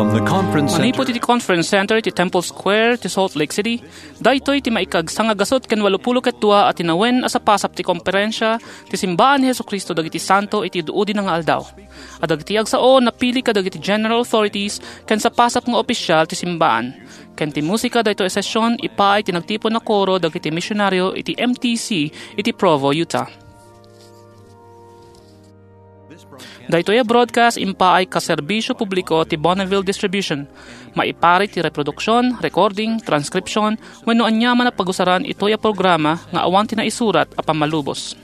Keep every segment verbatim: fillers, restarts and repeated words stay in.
From the conference Manipud center. Iti Conference Center iti Temple Square ti Salt Lake City, daytoy ti maikagsangagasut ken walupulo ket dua a tinawen a sapasap ti komperensia ti Simbaan ni Jesu-Cristo dagiti Santo iti Udi-udina nga Aldaw. A dagiti agsao, napili kadagiti general authorities ken sapasap nga opisyal ti simbaan. Ken ti musika daytoy a session, ipaay ti nagtipon a koro dagiti misionario iti M T C iti Provo, Utah. Daytoy a broadcast impaay kaserbisio publiko ti Bonneville Distribution. Maipari ti reproduksion, recording, transcription, wenno aniaman a pagusaran itoy a programa nga awan ti naisurat a pammalubos.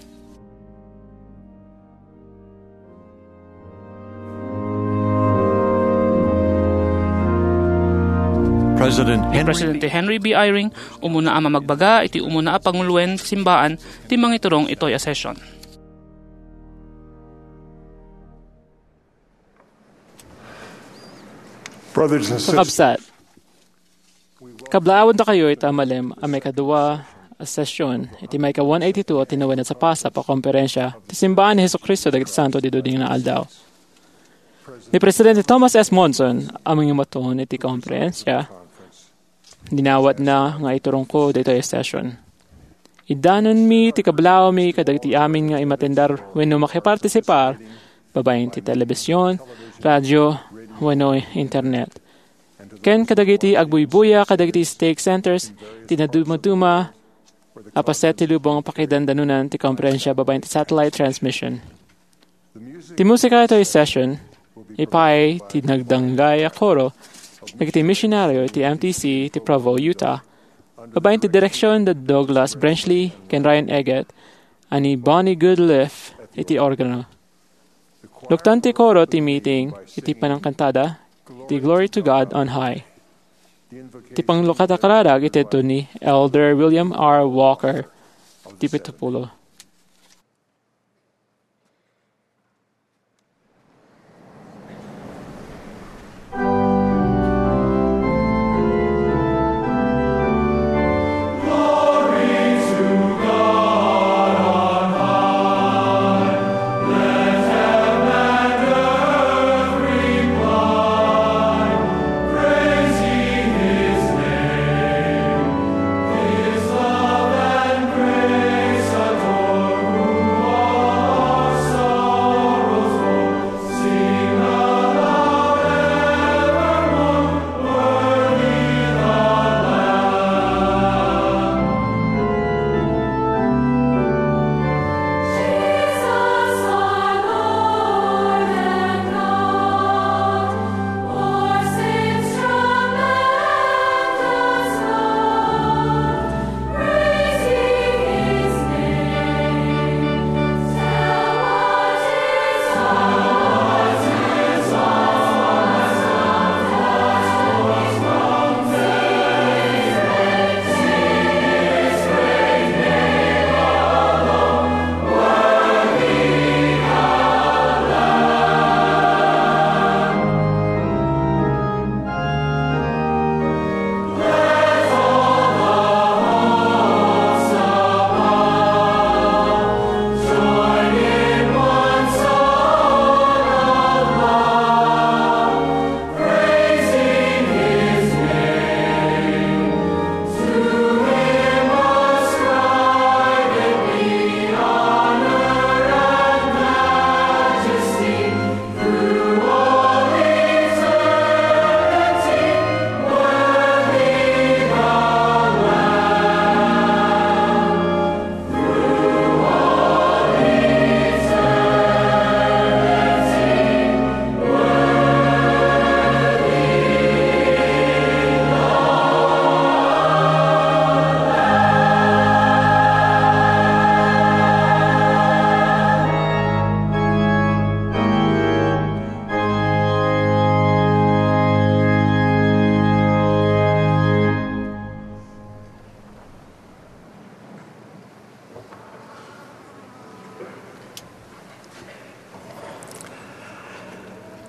President Ni Henry Presidente B. Henry B. Eyring, umuna a mamagbaga iti umuna a panguloen ti simbaan ti mangiturong itoy a session. Brothers and sisters, Kakabsat, kablaawendakayo ita a malem a maikadua a session iti maika one eighty-two a tinawen a sapasap a komperensia ti Simbaan ni Jesu-Cristo dagiti Santo iti Udi-udina nga Aldaw. Ni Presidente Thomas S. Monson a mangimaton iti komperensia, dinawatna nga iturongko daytoy a session. Iddanonmi ti kablawmi kadagiti amin nga imatendar wenno makipartisipar babaen ti telebision, radio, wenno internet. Ken kadagiti agbuybuya kadagiti stake centers ti nadumaduma a paset ti lubong a pakidandanonan ti komperensia babaen ti satellite transmission. Ti musika itoy session, ipaay ti nagdanggay a koro dagiti misionario iti M T C ti Provo, Utah, babaen ti direksion da Douglas Brenchley ken Ryan Eggett a ni Bonnie Goodliff iti organo. Luktan ti koro ti meeting iti panangkantada ti Glory to God on High. Ti panglukata kararag iti adu ni Elder William R. Walker, ti pitupulo.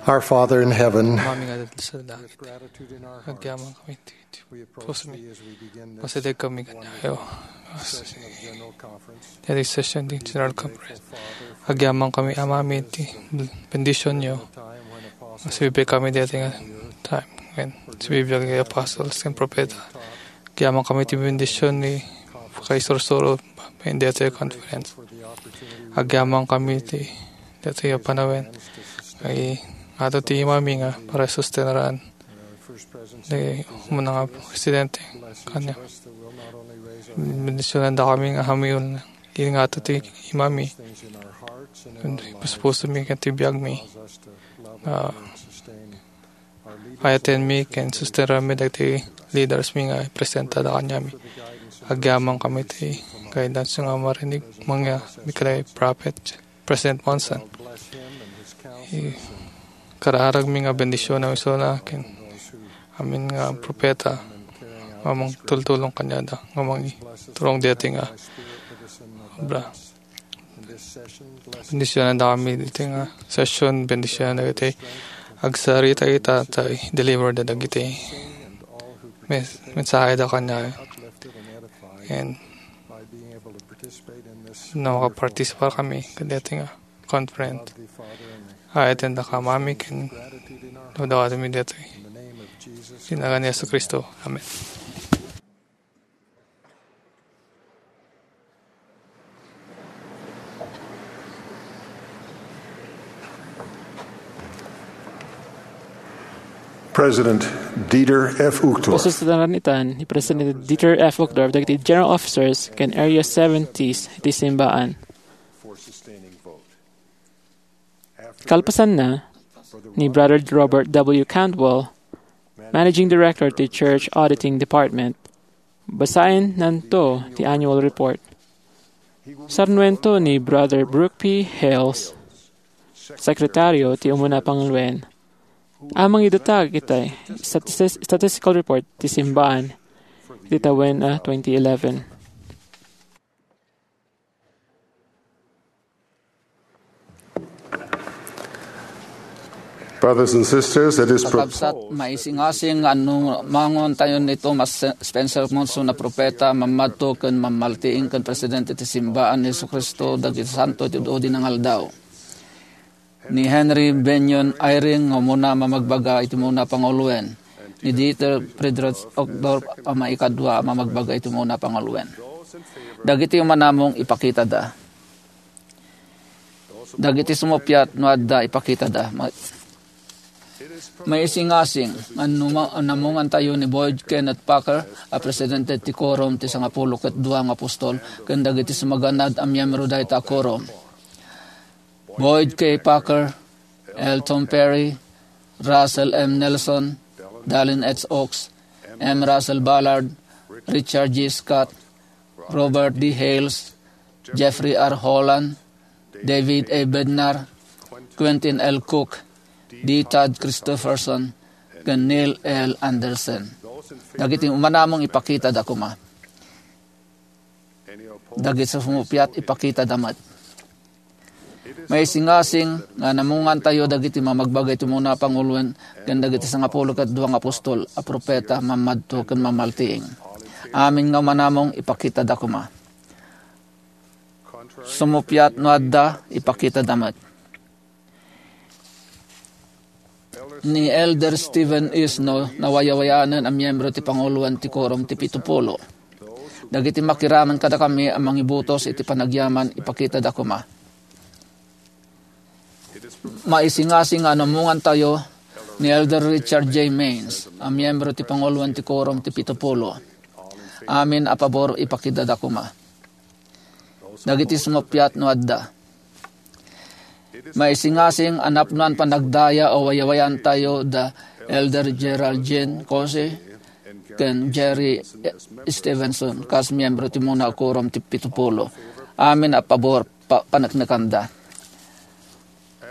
Our Father in heaven, Amami nga adda sa langit, agyaman kami ti, ti pusomi. Pasideg kami kaniayo. Daytoy session ti General Conference. Agyaman kami, Amami, ti bendisionyo. Masibibiag kami daytoy nga time. Ken, sibibiag nga apostles ken propeta. Agyaman kami ti bendision ni pakaisursuro iti daytoy conference. Agyaman kami ti daytoy a panawen. Ay, ato ti imami nga para sustenaran. Di umuna nga presidente kanya. Bendisionan da kami nga hamiul na. Ingato ti imami. Puspusomi ken ti biagmi. Ah, ayatenmi ken sustenanmi dagiti leaders mi nga ipresenta da kaniami. Agyaman kami ti guidance nga marinig mangya mikada prophet. President Monson. I-, kararagmi nga bendision a misona ken amin nga propeta nga mangtultulong kaniada nga mangiturong daytoy nga obra. Bendisionanda kami daytoy nga session, bendisionan dagiti agsarita ita ta i-deliver da dagiti mes-, mensahe da kaniada. And no makapartisipar kami kadaytoy nga conference, ayaten da ka mami ken dawdawatmi daytoy. Iti nagan ni Jesu-Cristo. Amen. President Dieter F. Uchtdorf. Pasustanan itan ni President Dieter F. Uchtdorf dagiti General Officers ken Area seventies iti simbaan. Kalpasanna, ni Brother Robert W. Cantwell, Managing Director ti Church Auditing Department, basaennanto ti annual report. Sarnuento ni Brother Brooke P. Hales, Sekretario ti Umuna Panguloen, a mangidatag iti statis-, statistical report ti simbaan iti tawen a twenty eleven. Brothers and sisters, it is Kakabsat, proposed maisingasing nga annumangontayon ni Thomas Spencer Monson a propeta, mammadto ken mammaltiing ken presidente ti simbaan ni Jesu-Cristo dagiti santo iti udi-udi nga aldaw. Ni Henry Bennion Eyring nga umuna a mamagbaga iti umuna a panguloen. Ni Dieter Friedrich Uchtdorf a maikadua a mamagbaga iti umuna a panguloen. Dagiti umanamong ipakitada. Dagiti sumuppiat no adda ipakitada. Ma-, maisingasing nga annuma-, annamungantayo ni Boyd Kenneth Packer a presidente ti Quorum ti Sangapulo ket Dua nga Apostol ken dagiti sumaganad a miyembro dayta a Quorum. Boyd K. Packer, L. Tom Perry, Russell M. Nelson, Dallin H. Oaks, M. Russell Ballard, Richard G. Scott, Robert D. Hales, Jeffrey R. Holland, David A. Bednar, Quentin L. Cook, D. Todd Christofferson, ken Neil L. Andersen. Dagiti umanamong ipakitada koma. Dagiti sumuppiat, ipakitada met. Maisingasing nga annamungantayo dagiti mamagbaga iti umuna a panguloen ken dagiti sangapulo ket dua nga apostol a propeta, mammadto ken mammaltiing. Amin nga umanamong, ipakitada koma. Sumuppiat no adda, ipakitada met. Ni Elder Steven Isno, nawayawayaanen a miyembro ti panguloen ti Quorum ti Pitupulo. Dagiti makiraman kadakami a mangibutos iti panagyaman, ipakitada koma. Maisingasing nga annamungantayo ni Elder Richard J. Maines a miyembro ti panguloen ti Quorum ti Pitupulo. Amin a pabor, ipakitada koma. Dagiti sumuppiat no adda. Maisingasing a napnoan panagdaya a wayawayaantayo da Elder Gerald Jean Caussé ken Jerry Stevenson kas miyembro ti umuna a Quorum ti Pitupulo. Amin a pabor, pa-, paneknekanda.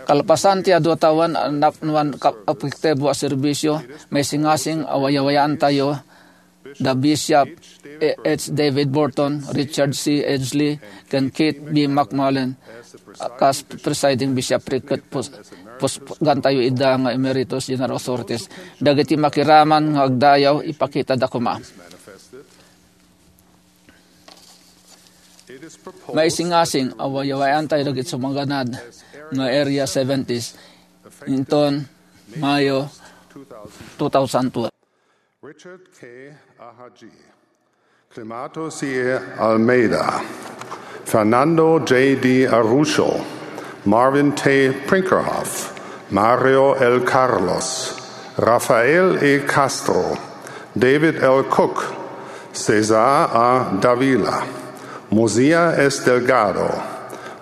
Kalpasan ti adu a tawen a napnoan ka-, epektibo a serbisio, maisingasing a wayawayaantayo da Bishop H. David Burton, Richard C. Edgley, ken Keith B. McMullen, a kas presiding bishopric ket pus-, pusgantayo ida nga emeritus general authorities. Dagiti makiraman nga agdayaw, ipakitada koma. Maisingasing a wayawayaantayo dagiti sumaganad nga Area seventies. Inton Mayo two thousand twelve. Richard K. Ahaji, Climato C. Almeida, Fernando J. D. Arrucho, Marvin T. Brinkerhoff, Mario L. Carlos, Rafael E. Castro, David L. Cook, Cesar A. Davila, Mosiah S. Delgado,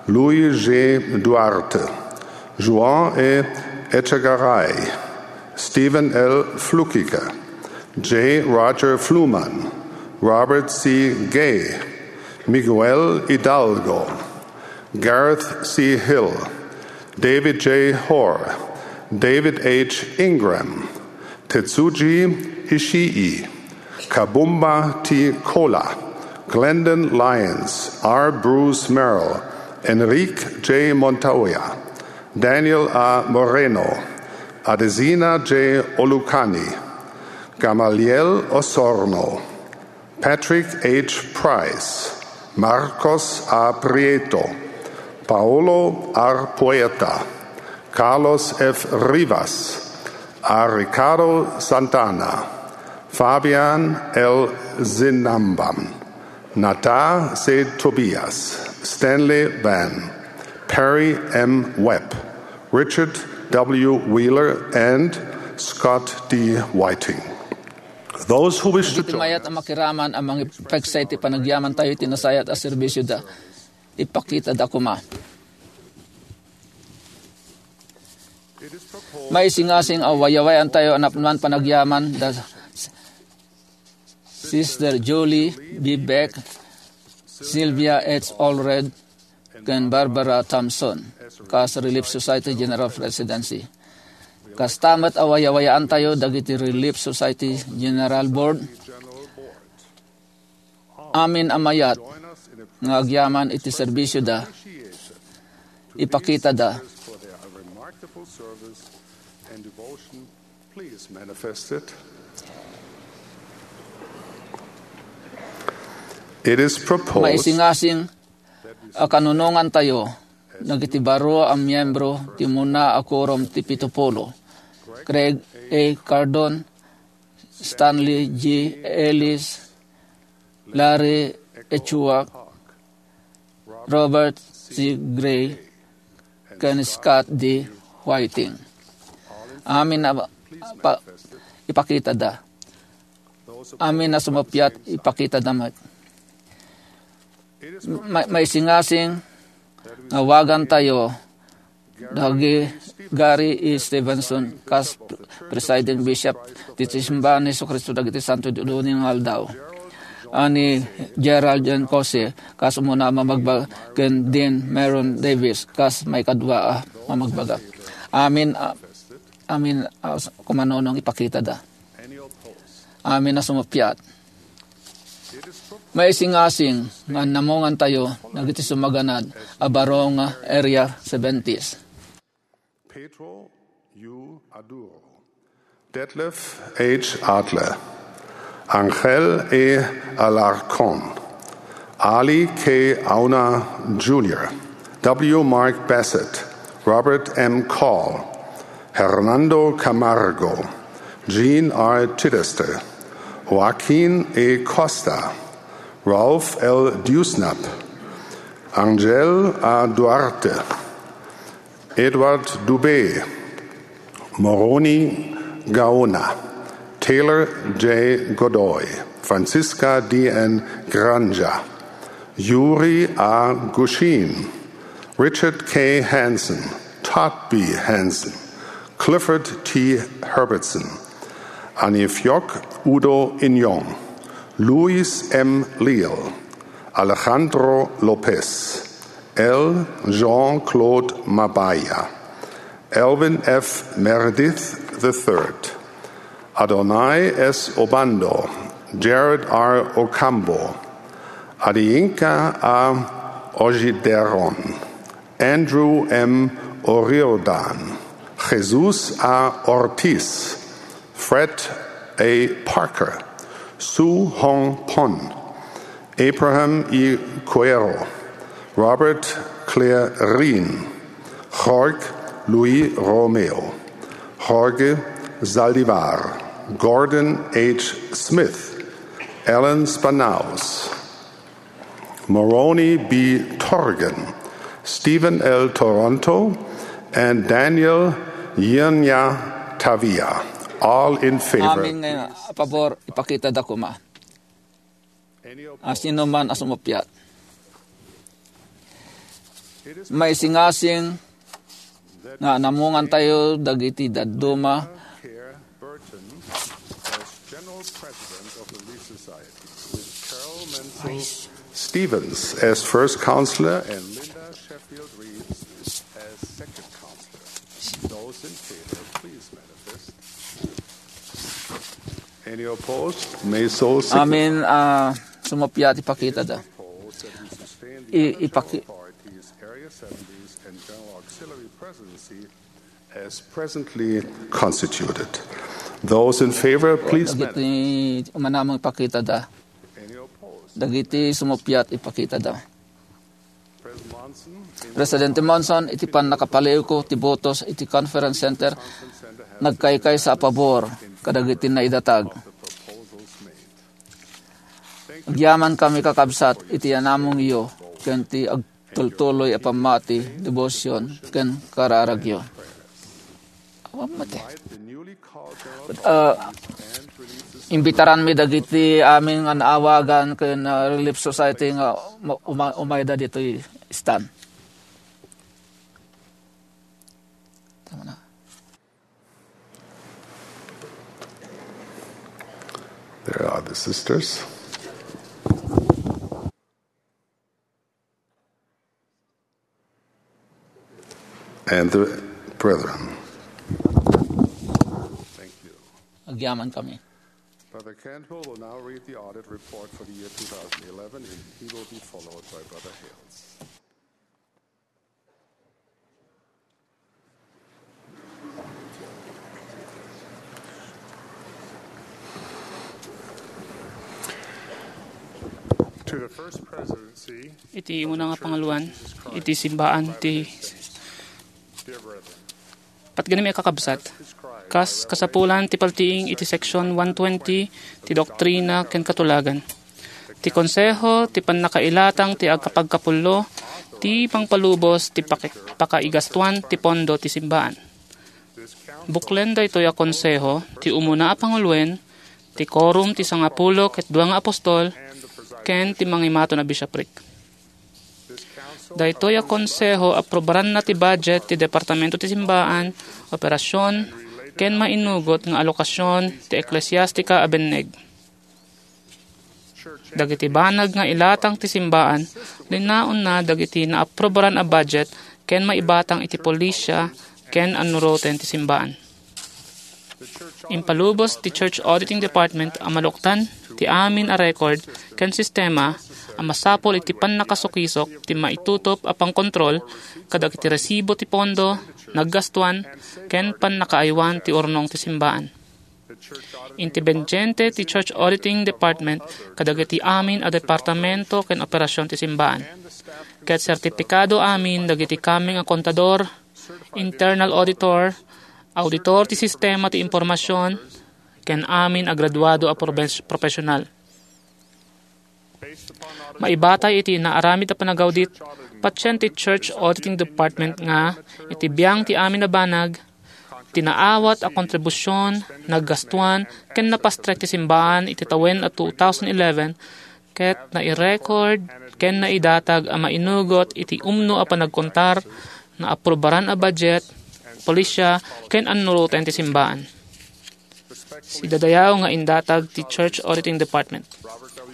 Luis G. Duarte, Juan E. Echegaray, Stephen L. Flukiger, J. Roger Fluman, Robert C. Gay, Miguel Hidalgo, Gareth C. Hill, David J. Hoare, David H. Ingram, Tetsuji Ishii, Kabumba T. Kola, Glendon Lyons, R. Bruce Merrill, Enrique J. Montoya, Daniel A. Moreno, Adesina J. Olucani, Gamaliel Osorno, Patrick H. Price, Marcos A. Prieto, Paolo R. Puerta, Carlos F. Rivas, A. Ricardo Santana, Fabian L. Zinamban, Nata C. Tobias, Stanley Van, Perry M. Webb, Richard W. Wheeler, and Scott D. Whiting. Those who wish to Dagiti join mayat a us makiraman a mangipaiksa iti panagyamantayo iti nasayaat a serbisyoda, ipakitada koma. Maisingasing a wayawayaantayo a napnuan panagyaman da Sister Julie B. Beck, Sylvia H. Allred, ken Barbara Thompson kas Relief Society General Presidency. Kasta met a wayawayaantayo dagiti Relief Society General Board. Amin a mayat nga agyaman iti serbisyoda, ipakitada. Please manifest it. It is proposed Maisingasing a kanunongantayo dagiti baro a miyembro ti umuna a Quorum ti Pito Pulo: Craig A. Cardon, Stanley G. Ellis, Larry H. Chuak, Robert C. Gray, ken Scott D. Whiting. Amin a pa, ipakitada. Amin a sumuppiat, ipakitada met. Ma, maisingasing nga awagantayo dagi Gary E. Stevenson kas Presiding Bishop ti Simbahan ni Jesu-Cristo dagiti Santo ti Ulunen nga Aldaw, a ni Gerald Jan Cose kas umuna a mamagbaga, ken Dean Myron Davis kas maikadua a mamagbaga. Amin a, amin a kumanunong ipakitada. Amin a sumuppiat. Maisingasing nga annamongantayo dagiti sumaganad a baro nga Area seventies. Pedro U. Aduro, Detlef H. Adler, Angel E. Alarcon, Ali K. Auna Junior, W. Mark Bassett, Robert M. Call, Hernando Camargo, Jean R. Chittister, Joaquin E. Costa, Ralph L. Dewsnup, Angel A. Duarte, Edward Dubé, Moroni Gaona, Taylor J. Godoy, Francisca D. N. Granja, Yuri A. Gushin, Richard K. Hansen, Todd B. Hansen, Clifford T. Herbertson, Anifiok Udo Inyong, Luis M. Leal, Alejandro Lopez, L. Jean-Claude Mabaya, Elvin F. Meredith the third, Adonai S. Obando, Jared R. Ocampo, Adiyinka A. Ojideron, Andrew M. Oriordan, Jesus A. Ortiz, Fred A. Parker, Su Hong Pon, Abraham E. Cuero, Robert Claire Reen, Jorge Luis Romeo, Jorge Zaldivar, Gordon H. Smith, Ellen Spanaus, Moroni B. Torgan, Stephen L. Toronto, and Daniel Yirnya Tavia. All in favor. Amin nga pabor, ipakita da kuma. Asino man a sumuppiat. Maisingasing nga namungan tayo dagiti dadduma. Burton as General President of the Relief Society, with Carol Menzel Stevens as first counselor and Linda Sheffield Reeves as second counselor. Those in favor, please manifest. Any opposed? May so signify. Amin, ah, sumuppiat, ipakita da. Opposed that we sustain the I-, official ipaki- authorities, Area seventies and General Auxiliary Presidency as presently constituted. Those in favor, please. Dagiti umanamong ipakita da. Any opposed? Dagiti sumuppiat, ipakita da. President Monson, Presidente Monson, iti pannakapaliwko ti botos iti Conference Center, nagkaykaysa a pabor kadagiti naidatag. The proposals made. Agyamankami, kakabsat, iti anamongyo ken ti agtultuloy a pammati, debosion, ken kararagyo. Awan mati. Ah, imbitaranmi dagiti amin nga naawagan ken, ah, Relief Society nga ma-, uma-, umayda ditoy stand. Tama na. There are the sisters. And the brethren. Thank you. Agyamankami. Brother Cantwell will now read the audit report for the year two thousand eleven, and he will be followed by Brother Hales. To the First Presidency, iti umuna nga panguloan iti simbaan ti Dear brethren, patgani a kakabsat, kas kasapulan ti paltiing iti Section one twenty ti Doktrina ken Katulagan, ti Konseho ti pannakailatang ti agkapagkapullo ti pangpalubos ti paki-, pakaigastuan ti pondo ti simbaan. Buklen daytoy a konseho ti umuna a panguloen, ti korum ti sangapulo ket dua nga apostol, ken ti mangimaton a bishopric. Daytoy a konseho, aprobaranna ti budget ti departamento ti simbaan, operasion, ken mainugot nga alokasion ti eklesiastika a binneg. Dagiti banag nga ilatang ti simbaan, linnaonna dagiti naaprobaran a budget ken maibatang iti polisia ken annuroten ti simbaan. Impalubos ti Church Auditing Department a maluktan ti amin a record ken sistema a masapul iti pannakasukisok ti maitutop a pangkontrol kadagiti resibo ti pondo, naggastuan, ken pannakaaywan ti urnong ti simbaan. Independiente ti Church Auditing Department kadagiti amin a departamento ken operasion ti simbaan. Ket sertipikado amin dagiti kameng a kontador, internal auditor, auditor ti sistema ti impormasion, ken amin a graduado a probes-, profesional. Maibatay iti naaramid a panagaudit, patien ti Church Auditing Department nga iti biang ti amin a banag, ti naawat a kontribusion, naggastuan, ken napastrek ti simbaan iti tawen a two thousand eleven, ket nairecord ken naidatag a mainugot iti umno a panagkontar, naaprobaran a budget, polisia, ken annuroten ti simbaan. Sidadayaw nga indatag ti Church Auditing Department.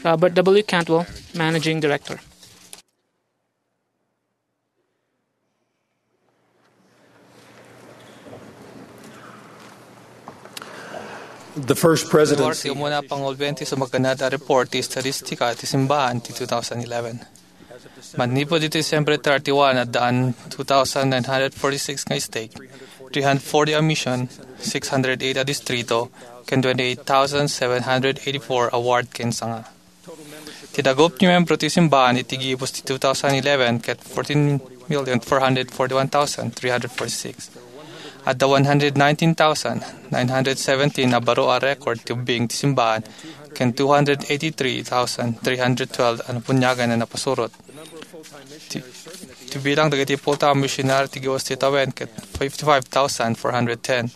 Robert W. Cantwell, Managing Director. The First Presidency. Ti umuna a panguloen ti sumaganad a report ti estatistika ti simbaan ti two thousand eleven. Manipud iti Disyembre thirty-one, addaan two thousand nine hundred forty-six nga stake, three hundred forty a mission, six hundred eight a distrito, ken twenty-eight thousand seven hundred eighty-four a ward ken sanga. Ti dagup ti membro ti simbaan iti gibus ti two thousand eleven ket fourteen million four hundred forty-one thousand three hundred forty-six. Adda one hundred nineteen thousand nine hundred seventeen a baro a record ti ubbing ti simbahan ken two hundred eighty-three thousand three hundred twelve a nabuniagan a napasurot. Ti, ti bilang dagiti full-time missionary ti gawas ti tawen ket fifty-five thousand four hundred ten.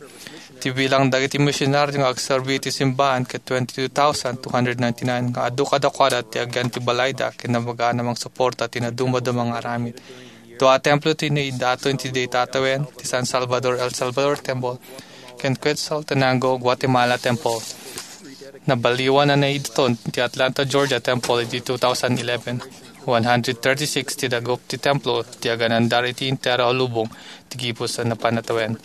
Ti bilang dagiti missionary nga agserbi iti simbahan ket twenty-two thousand two hundred ninety-nine nga adu kadakuada ti agyan ti balayda ken nabaganan a mangsuporta ti nadumaduma nga aramid. Dua a templo ti naidaton iti dayta a tawen, ti San Salvador El Salvador Temple ken Quetzaltenango Guatemala Temple. Nabaliwan a naidaton ti Atlanta Georgia Temple iti two thousand eleven. One hundred thirty-six ti dagup ti templo ti aganandar iti entero a lubong ti gibus a napan a tawen.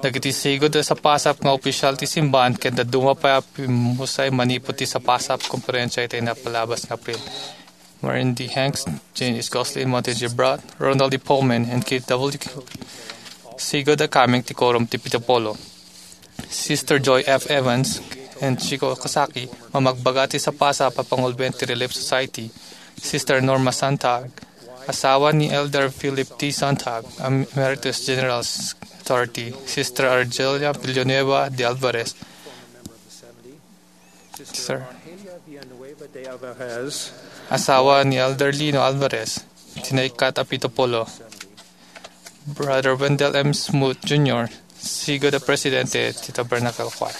Dagiti sigud a sapasap nga opisyal ti simbahan ket dadduma pay a pimmusay manipud ti sapasap konferensia iti napalabas nga Abril. Martin D. Hanks, Jane S. Gosling, Monte J. Bratt, Ronald D. Pullman, and Keith W. Sigud a kameng ti Quorum ti Pito Pulo. Sister Joy F. Evans and Chico Kosaki, mamagbaga ti sapasap a pangulben ti Relief Society. Sister Norma Sontag, asawa ni Elder Philip T. Sontag, Emeritus General Authority. Sister Argelia Villanueva de Alvarez, Sir. Asawa ni Elder Lino Alvarez, ti naikkat a pito pulo. Brother Wendell M. Smoot Junior, sigud a presidente ti Tabernacle Choir.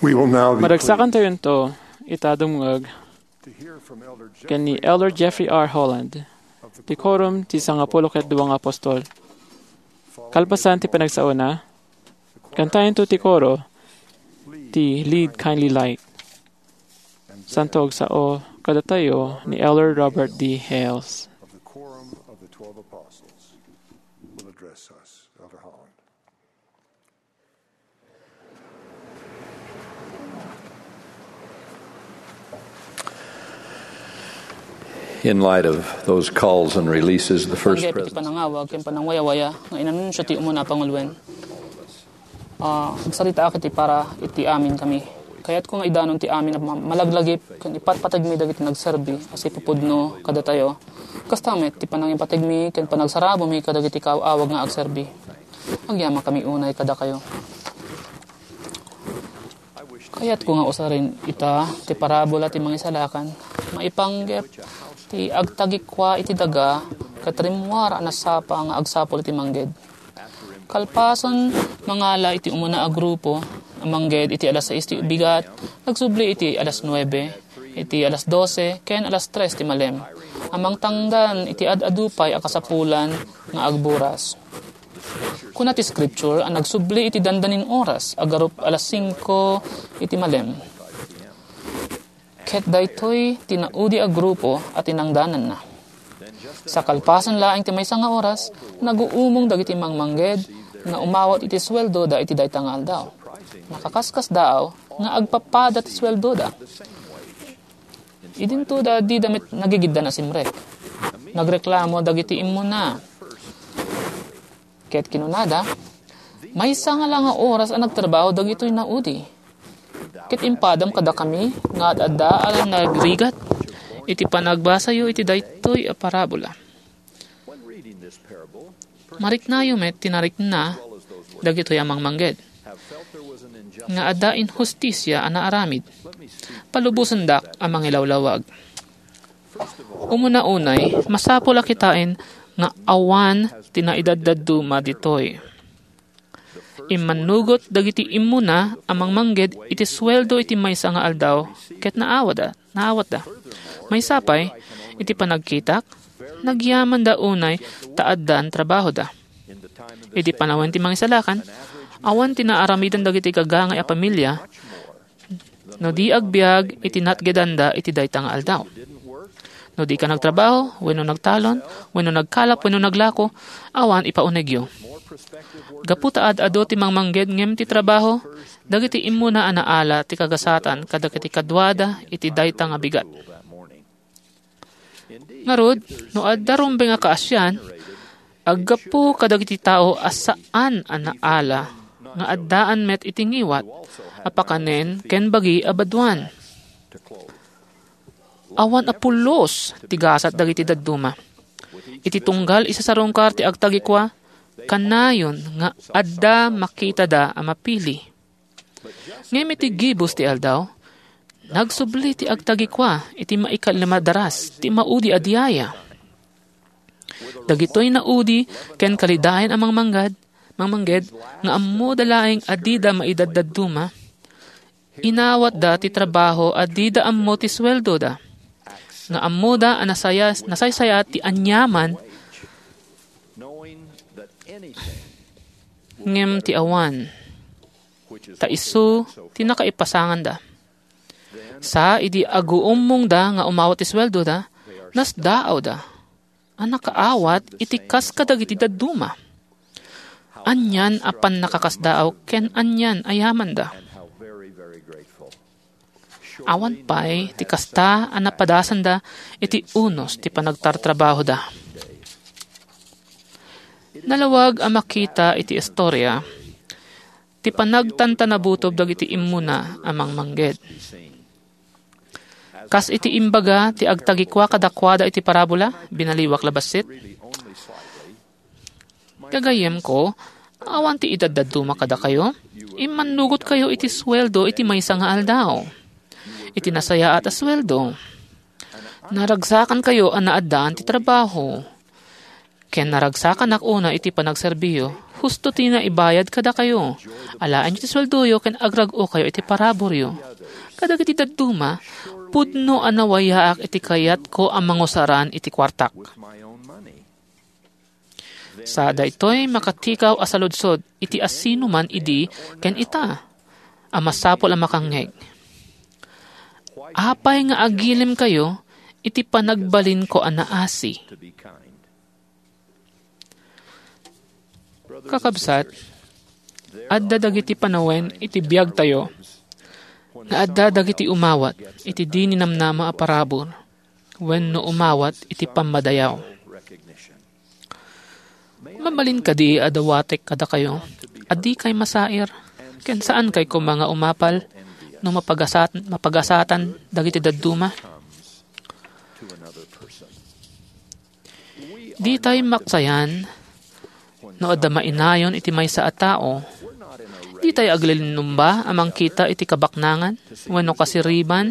We will now be Madagsakan tayonto ita dumngeg ken ni Elder Jeffrey R. Holland, ti Quorum ti Sangapulo ket Dua nga Apostol. Kalpasan ti panagsaona, kantayonto ti koro ti Lead, Kindly Light. Santo agsao kadatayo ni Elder Robert D. Hales. Of the Quorum of the Twelve Apostles will address us, Elder Holland. In light of those calls and releases, the first Panggep iti president panangawag ken panangwayawaya nga inanunsio ti umuna a panguluen. Ah, agsaritaak iti para iti amin kami. Kayatko nga idanon ti amin a ma-, malaglagip ken ipatpategmi dagiti nagserbi a sipupudno kadatayo. Kasta met ti panangipategmi ken panagsarabomi kadagiti kaaw-awag nga agserbi. Agyamankami unay kadakayo. Kayatko nga usaren ita ti parabola ti Mangisalakan. Maipanggep ti agtagikua iti daga ket rimmuar a nasapa nga agsapul iti mangged. Kalpasan mangala iti umuna a grupo a mangged iti alas sais ti bigat, nagsubli iti alas nuebe, iti alas dose, ken alas tres ti malem, a mangtangdan iti ad-adu pay a kasapulan nga agburas. Kuna ti Scripture a nagsubli iti dandanin oras a garup alas singko iti malem. Ket daytoy ti naudi a grupo a tinangdananna. Sa kalpasan laeng ti maysa nga oras, naguumong dagiti mangmangged nga umawat iti sueldoda iti dayta nga aldaw. Nakakaskasdaaw nga agpapada ti sueldoda. Idinto da dida met nagigiddan a simrek. Nagreklamo dagiti immuna. Ket kinunada, "Maysa nga la nga oras a nagtrabaho dagitoy naudi. Ket impadam kadakami nga ad-adda a nagrigat iti panagbasayo iti daytoy a parabola." Mariknayo met ti narikna dagitoy a mangmangged nga adda inhustisia a naaramid. Palubosendak a mangilawlawag. Umuna unay, masapul a kitaen nga awan ti naidaddadduma ditoy. Immannugot dagiti immuna a mangmangged iti sueldo iti maysa nga aldaw ket naawada, naawatda. Maysa pay, iti panagkitak, nagyamanda unay ta addan trabahoda. Iti panawen ti Mangisalakan, awan ti naaramidan dagiti gagangay a pamilia no di agbiag iti natgedanda iti dayta nga aldaw. No dika nagtrabaho, wenno nagtalon, wenno nagkalap, wenno naglako, awan ipaunegyo. Gapu ta ad-adu ti mangmangged ngem ti trabaho, dagiti immuna a naala ti kagasatan kadagiti kaduada iti dayta nga bigat. Ngarud, no adda rumbeng a kaasian, aggapu kadagiti tao a saan a naala nga addaan met iti ngiwat a pakanen ken bagi a baduan. Awan a pulos ti gasat dagiti dadduma. Iti tunggal isasarungkar ti agtagikua, kanayon nga adda makitada a mapili. Ngem iti gibus ti aldaw, nagsubli ti agtagikua iti maikalima daras ti maudi a diaya. Dagitoy naudi ken kalidayan a mangmanggad, mangmangged nga ammoda laeng a dida maidadduma, inawatda ti trabaho a dida ammo ti sueldoda. Nga ammoda a nasaya-, nasaysayaat ti aniaman, ngem ti awan, ta isu ti nakaipasanganda. Sa idi aguummongda nga umawat ti sueldoda, nasdaawda a nakaawat iti kas kadagiti dadduma. Anian a pannakakasdaaw ken anian a yamanda. Awan pay ti kasta a napadasanda iti unos ti panagtartrabahoda. Nalawag a makita iti istorya ti panagtantanabutob dagiti immuna a mangmangged. Kas iti imbaga ti agtagikua kadakuada iti parabola, binaliwak la bassit. Gagayyemko, awan ti idaddadduma kadakayo. Immannugotkayo iti sueldo iti maysa nga aldaw. Iti nasayaat a sueldo. Naragsakankayo a naaddaan ti trabaho. Ken naragsakanak una iti panagserbiyo, husto ti naibayad kadakayo. Alaenyo ti sueldoyo ken agrag-okayo iti paraburyo. Kadagiti dadduma, pudno a nawayaak iti kayatko a mangusaran iti kuartak. Sa daytoy makatikaw a saludsod iti asinoman idi ken ita a masapul a makangngeg. Apay nga agilimkayo iti panagbalinko a naasi? Kakabsat, adda dagiti panawen iti biagtayo nga adda dagiti umawat iti di ninamnama a parabur wenno umawat iti pammadayaw. Mabalin kadi a dawatek kadakayo a dikay masair ken saankay koma nga umapal no mapagasat-, mapagasatan dagiti dadduma? Ditay maksayan no adda mainayon iti maysa a tao. Ditay aglilinumba a mangkita iti kabaknangan wenno kasiriban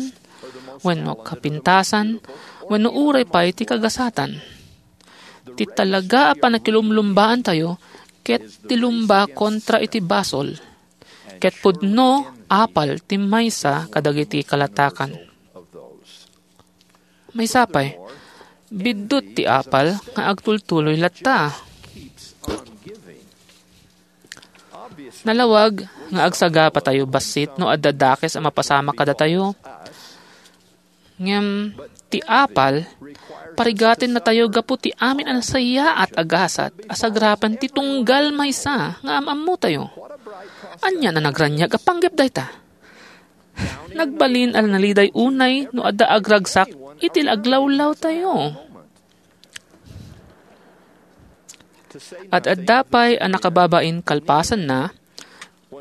wenno kapintasan wenno uray pay ti kagasatan. Ti talaga a pannakilumlumbaantayo ket ti lumba kontra iti basol, ket pudno apal ti maysa kadagiti kalatakan. Maysa pay, biddut ti apal nga agtultuloy latta. Nalawag nga agsagapatayo bassit no adda dakes a mapasamak kadatayo. Ngem ti apal, parigatennatayo gapu ti amin a nasayaat a gasat a sagrapen ti tunggal maysa nga am-ammotayo. Ania a nagraniag a panggep dayta? Nagbalin a naliday unay no adda agragsak iti aglawlawtayo. Ad-adda pay a nakababain kalpasanna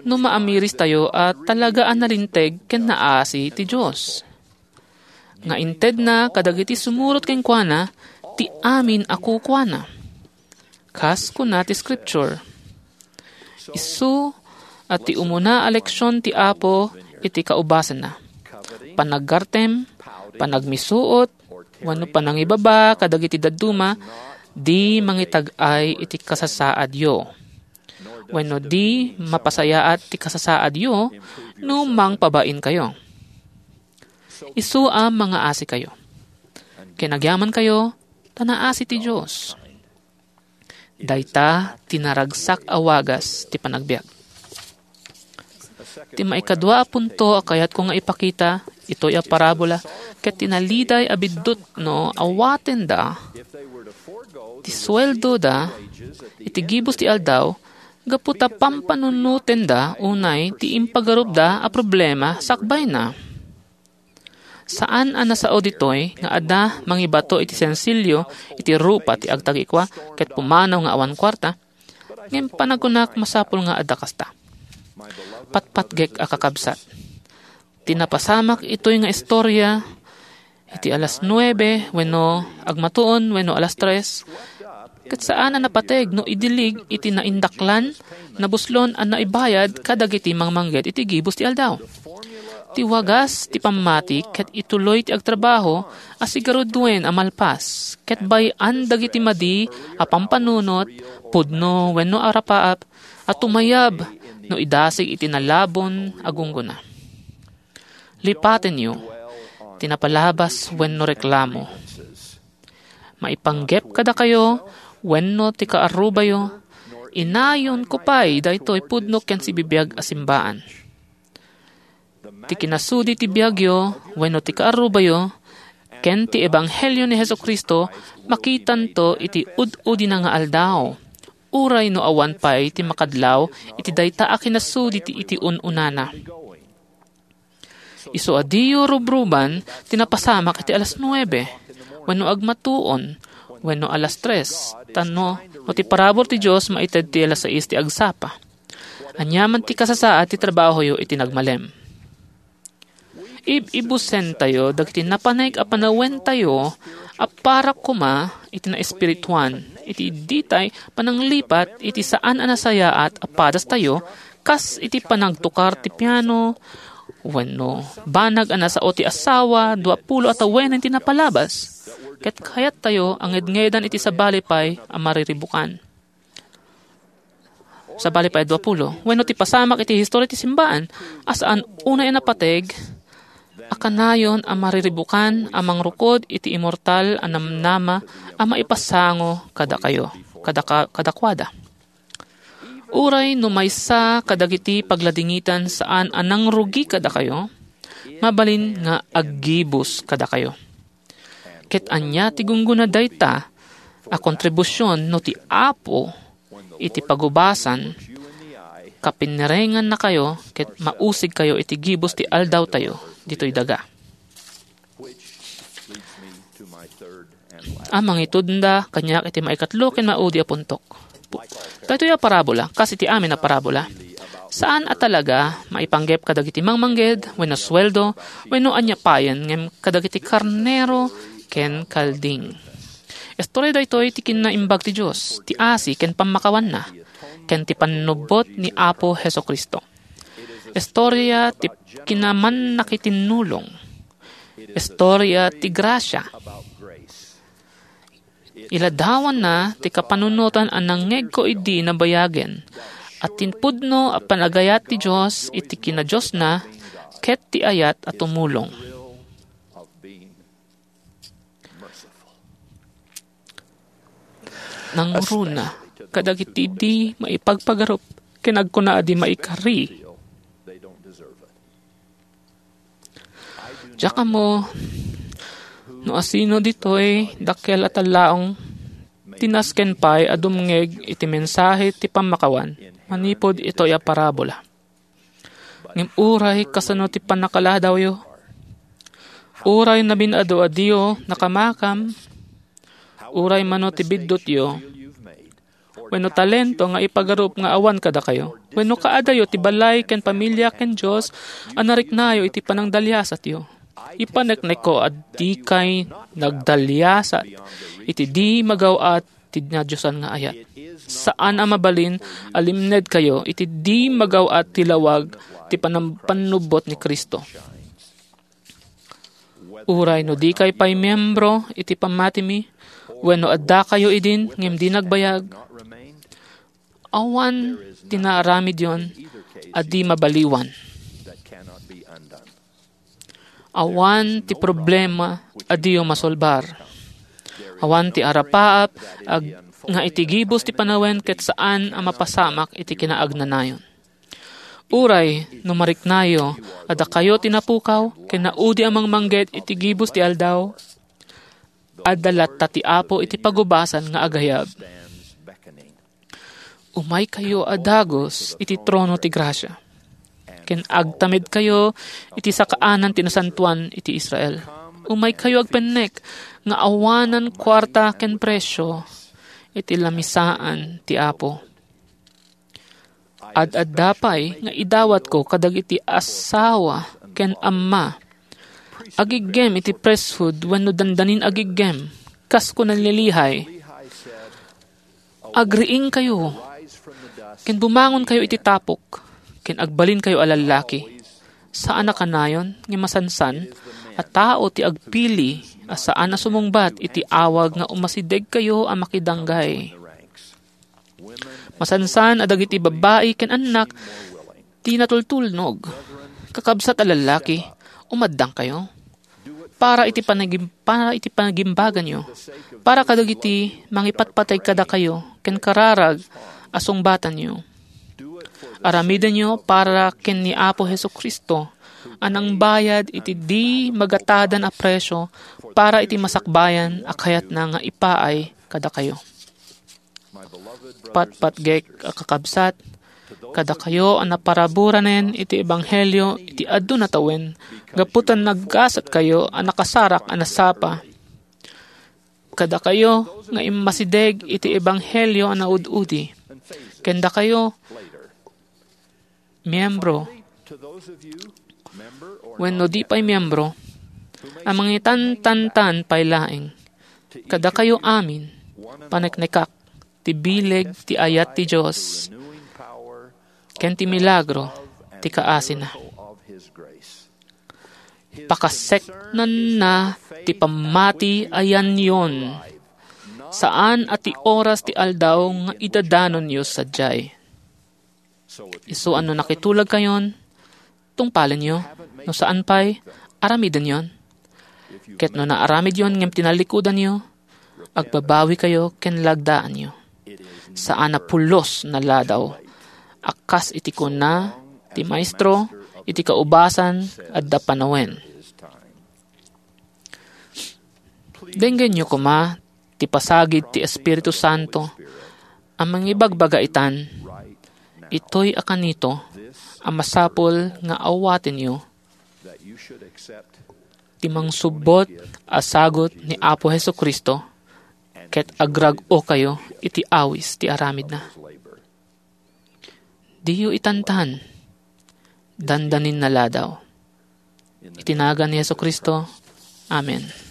no maamiristayo a talaga a nalinteg ken naasi ti Dios, nga intedna kadagiti sumurot kenkuana ti amin a kukuana. Kas kuna ti Scripture, isu a ti umuna a leksion ti Apo iti kaubasanna. Panaggartem, panagmisuot, wenno panangibaba kadagiti dadduma, di mangitag-ay iti kasasaadyo, wenno di mapasayaat ti kasasaadyo no mangpabainkayo. Isu a mangaasikayo. Ken agyamankayo, ta naasi ti Dios. Dayta ti naragsak a wagas ti panagbiag. Ti maikadua a punto a kayatko nga ipakita, itoy a parabola, ket ti naliday a biddut no awatenda ti sueldoda iti gibus ti aldaw gapu ta pampanunotenda unay ti impagarupda a problema sakbayna. Saan a nasao ditoy nga adda mangibato iti sensilio iti rupa ti agtagikua ket pumanaw nga awan kuarta, ngem panagkunak masapul nga adda kasta. Patpatgek a kakabsat, ti napasamak itoy nga istorya iti alas nuebe wenno agmatuon wenno alas tres, ket saan a napateg no idilig iti naindaklan, nabuslon a naibayad kadagiti mangmangged iti gibus ti aldaw. Ti wagas ti pammati ket ituloy ti agtrabaho a sigaruduen a malpas ket bay-an dagiti madi a pampanunot, pudno wenno arapaap a tumayab no idasig iti nalabon a gunggona. Lipatenyo ti napalabas wenno reklamo. Maipanggep kadakayo wenno ti kaarrubayo, inayonko pay daytoy pudno ken sibibiag a simbaan. Ti kinasudi ti biagyo wenno ti kaarrubayo ken ti ebanghelio ni Jesu-Cristo makitanto iti ud-udina nga aldaw, uray no awan pay ti makadlaw iti dayta a kinasudi ti iti un-unana. Isu a diyo rubruban ti napasamak iti alas nuebe, wenno agmatuon, wenno alas tres, tapno no ti parabur ti Dios maited ti alas sais ti agsapa. Aniaman ti kasasaad ti trabahoyo iti nagmalem. Ib-ibusentayo dagiti napanek a panawentayo a para koma iti naespirituan, iti ditay pananglipat iti saan a nasayaat a padastayo, kas iti panagtukar ti piano, wenno banag a nasao ti asawa, dua pulo a tawenen ti napalabas. Ket kayattayo a ngedngedan iti sabali pay a mariribukan. Sabali pay a dua pulo. Wenno ti pasamak iti historia ti simbaan, a saan unay a napateg, a kanayon a mariribukan a mangrukod iti immortal a namnama a maipasango kadakayo, kadaka-, kadakuada. Uray no maysa kadagiti pagladingitan saan a nangrugi kadakayo, mabalin nga aggibus kadakayo. Ket ania ti gunggona dayta a kontribusion no ti Apo iti pagubasan, kapinerengannakayo ket mausigkayo iti gibus ti aldawtayo ditoy daga? A mangitudna kaniak iti maikatlo ken maudi a puntok. Daytoy a parabola, kas iti amin a parabola, saan a talaga maipanggep kadagiti mangmangged wenno sueldo wenno ania payen ngem kadagiti karnero ken kalding. Istorya daytoy ti kinaimbag ti Dios, ti asi ken pammakawanna, ken ti pannubbot ni Apo Jesu-Cristo. Istorya ti kinamannakitinnulong. Istorya ti grasia. Iladawanna ti kapanunotan a nangngegko idi nabayagen a ti pudno a panagayat ti Dios iti kinadiosna ket ti ayat a tumulong. Nangruna kadagiti di maipagpagarup ken agkuna a di maikari. Diak ammo no asino ditoy dakkel a tallaong ti nasken pay a dumngeg iti mensahe ti pammakawan manipud itoy a parabola. Ngem uray kasano ti pannakaladawyo, uray nabin-adu a diyo nakamakam, uray mano ti biddutyo, wenno talento nga ipagarup nga awan kadakayo, wenno kaadayo ti balay ken pamilia ken Dios a nariknayo iti panangdaliasatyo. Ipaneknekko a dikay nagdaliasat iti di magaw-at ti nadiosan nga ayat. Saan a mabalin a limnedkayo iti di magaw-at ti lawag ti panam-, pannubbot ni Cristo. Uray no dikay pay miembro iti pammatimi, wenno addakayo idin ngem di nagbayag, awan ti naaramidyon a di mabaliwan. Awan ti problema a diyo masolbar. Awan ti arapaap ag-, nga iti gibus ti panawen ket saan a mapasamak iti kinaagnanayon. Uray no mariknayo a dakayo ti napukaw ken naudi a mangmangged iti gibus ti aldaw, adda latta ti Apo iti pagubasan nga agayab. Umaykayo a dagus iti trono ti grasia, ken agtamedkayo iti sakaanan ti nasantoan iti Israel. Umaykayo agpennek nga awanan kuarta ken presio iti lamisaan ti Apo. Ad-adda pay nga idawatko kadagiti asawa ken amma. Agiggem iti priesthood wenno dandanin agiggem, kas kuna ni Lehi, "Agriingkayo, ken bumangonkayo iti tapok, ken agbalinkayo a lallaki." Saan a kanayon nga masansan a tao ti agpili a saan a sumungbat iti awag nga umasidegkayo a makidanggay. Masansan a dagiti babbai ken annak ti natultulnog. Kakabsat a lallaki, umaddangkayo para iti panagim-, para iti panagimbaganyo, para kadagiti mangipatpateg kadakayo ken kararag a sungbatanyo. Aramidenyo para ken ni Apo Jesu-Cristo a nangbayad iti di magatadan a presio para iti masakbayan a kayatna nga ipaay kadakayo. Patpatgek a kakabsat, kadakayo a naparaburanen iti ebanghelio iti adu natawen, gapu ta naggasatkayo a nakasarak a nasapa. Kadakayo nga immasideg iti ebanghelio a naud-udi, ken dakayo, miyembro wenno di pay miyembro, a mangitantantan pay laeng, kadakayo amin, paneknekak ti bileg ti ayat ti Dios ken ti milagro ti kaasina. Pakaseknanna ti pammati a yanyon, saan a ti oras ti aldaw nga idadanonyo sadiay. Isu a no nakitulagkayon, tungpalenyo. No saan pay, aramidenyon. Ket no naaramidyon ngem tinallikudanyo, agbabawikayo ken lagdaanyo. Saan a pulos na ladaw, a kas iti kuna ti Maestro, iti kaubasan adda panawen. Denggenyo koma ti pasagid ti Espiritu Santo a mangibagbaga itan, itoy a kanito a masapul nga awatenyo ti mangsubbot a sagut ni Apo Jesu-Cristo ket agrag-okayo iti awis ti aramidna. Diyo itantan, dandanin na ladaw. Iti nagan ni Jesu-Cristo, amen.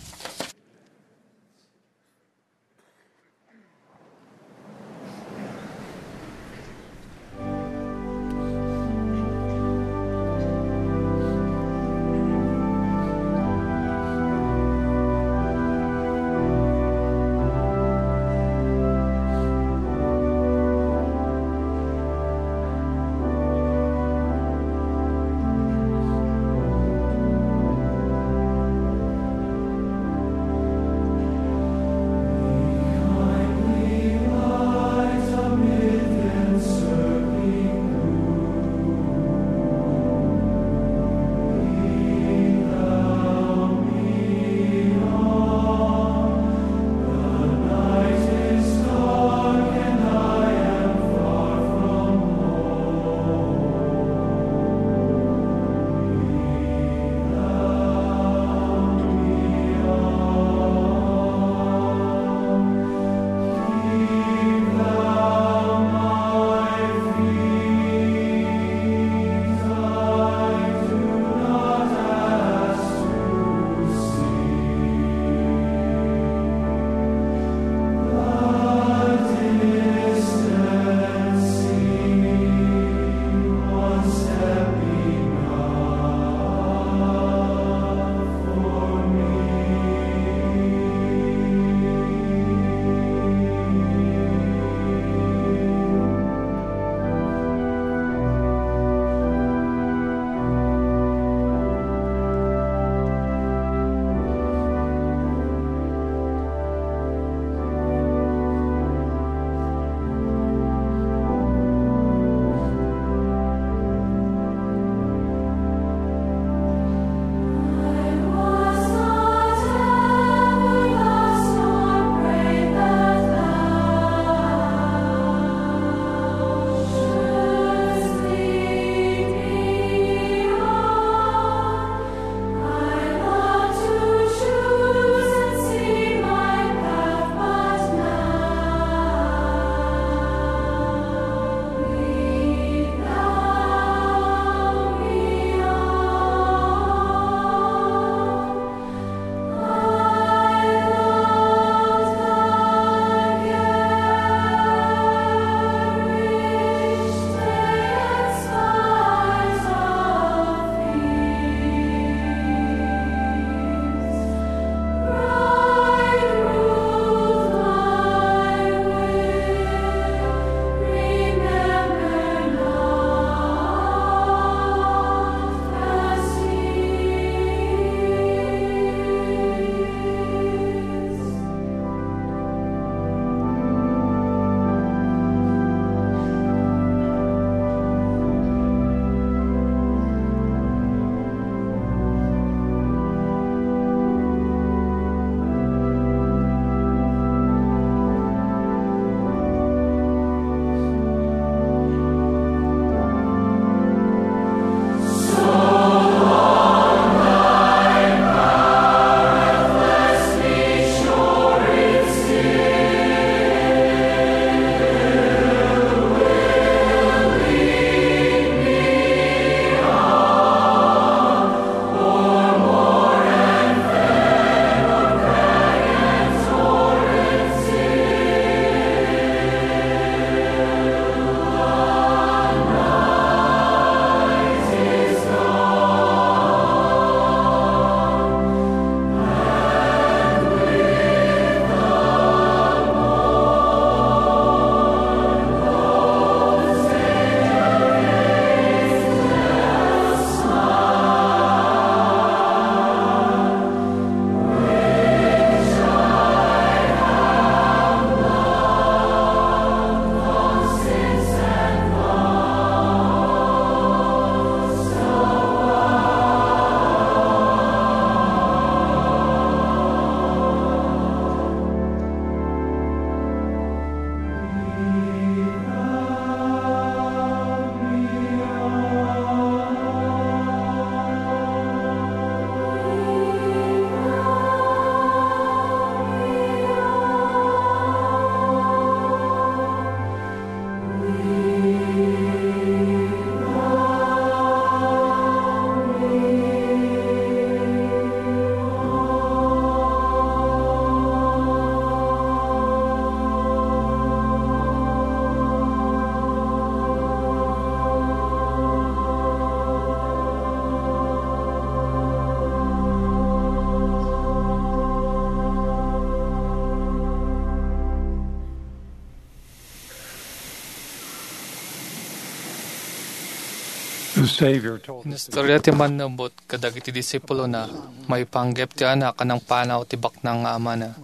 The Savior told his Inistorya ti mannubot kadagiti disipulona maipanggep ti anak a nangpanaw ti baknang nga amana.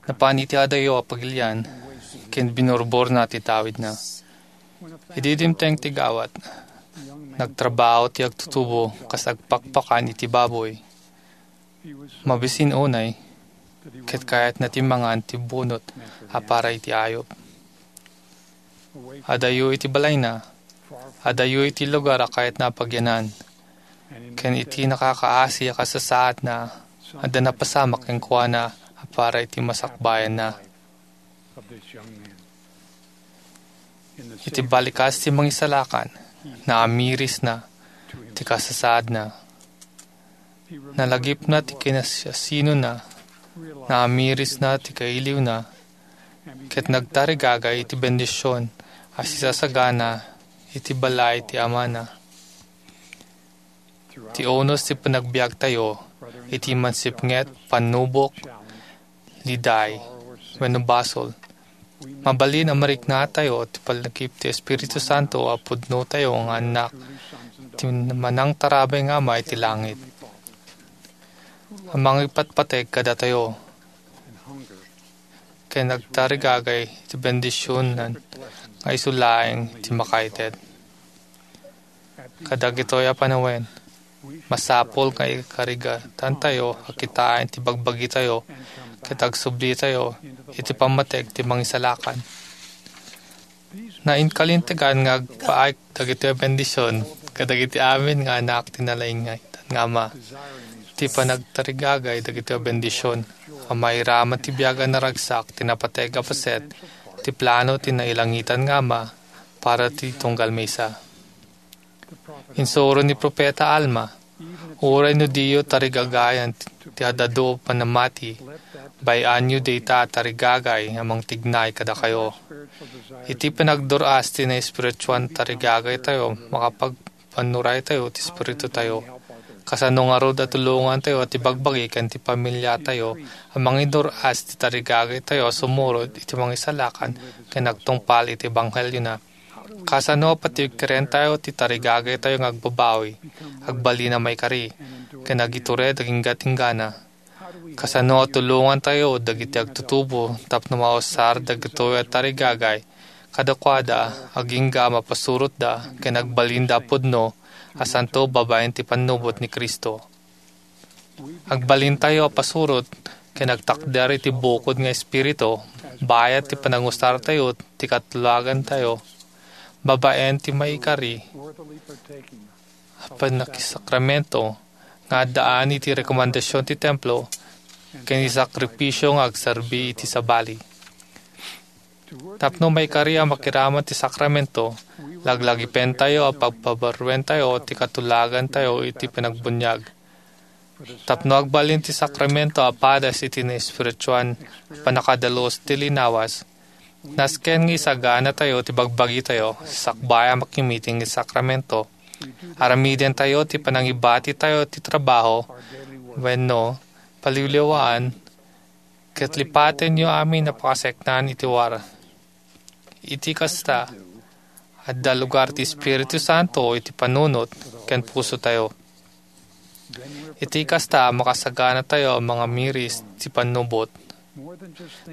Napan iti adayo a pagilian ken binurborna ti tawidna. Idi dimteng ti gawat, nagtrabaho ti agtutubo kas agpakpakan iti baboy. Mabisin unay, ket kayatna ti mangan ti bunot a para iti ayup. Adayo iti balayna, adayo iti lugar a kayatna a pagyanan, ken iti nakakaasi a kasasaadna, adda napasamak kenkuana a para iti masakbayanna. Iti balikas ti mangisalakan, naamirisna ti kasasaadna. Nalagipna ti kinasiasinona, naamirisna ti kailiwna, ket nagtarigagay iti bendision a sisasagana iti balay ti amana. Ti unos ti panagbiagtayo iti mansipnget, pannubok, liday, wenno basol. Mabalin a mariknatayo ti panagip ti Espiritu Santo a pudnotayo nga annak ti manangtarabay nga Ama iti langit. A mangipatpateg kadatayo ken agtarigagay ti bendisionan nga isu laeng ti makaited. Kadagitoy a panawen, masapul nga ikarigatantayo a kitaen ti bagbagitayo ket agsublitayo iti pammateg ti mangisalakan. Nainkalintegan nga agpaay dagitoy a bendision kadagiti amin nga anak ti nalaingaytan nga Ama. Ti panagtarigagay dagitoy a bendision a mairaman ti biag a naragsak ti napateg a paset ti plano ti nailangitan nga Ama para ti tunggal maysa. Insuro ni Profeta Alma, "Uray no diyo tarigagayan ti ad-adu a panamati, bay-anyo dayta a tarigagay a mangtignay kadakayo." Iti panagdur-as ti naespirituan tarigagaytayo, makapagpannuraytayo ti espiritutayo. Kasano ngarud a tulongantayo ti bagbagi ken ti pamiliatayo a mangidur-as ti tarigagaytayo a sumurot iti mangisalakan ken agtungpal iti ebanghelio na? Kasano a patikkirentayo ti tarigagaytayo nga agbabawi, agbalin a maikari, ken agitured a inggat-inggana? Kasano a tulongantayo dagiti agtutubo tapno mausar dagitoy a tarigagay kadakuada, agingga a mapasurotda, ken agbalinda a pudno a santo babaen ti pannubot ni Cristo? Agbalintayo a pasurot ken agtakder iti bukod nga espiritu, bayat ti panangusartayo ti katulagantayo babaen ti maikari a pannakisakramento nga addaan iti rekomendasion ti templo ken ti sakripisio nga agserbi iti sabali. Tapno maikari a makiraman ti sakramento, laglagipentayo a pagpabaruentayo ti katulagantayo iti panagbuniag. Tapno agbalin ti sakramento a padas iti naespirituan a pannakadalus ti linawas, nasken nga isaganatayo ti bagbagitayo sakbay a makimiting iti sakramento. Aramidentayo ti panangibatitayo ti trabaho wenno paliwliwaan ket lipatenyo amin a pakaseknan iti war. Iti kasta, adda lugar ti Espiritu Santo iti panunot ken pusotayo. Iti kasta, makasaganatayo a mangamiris ti pannubot.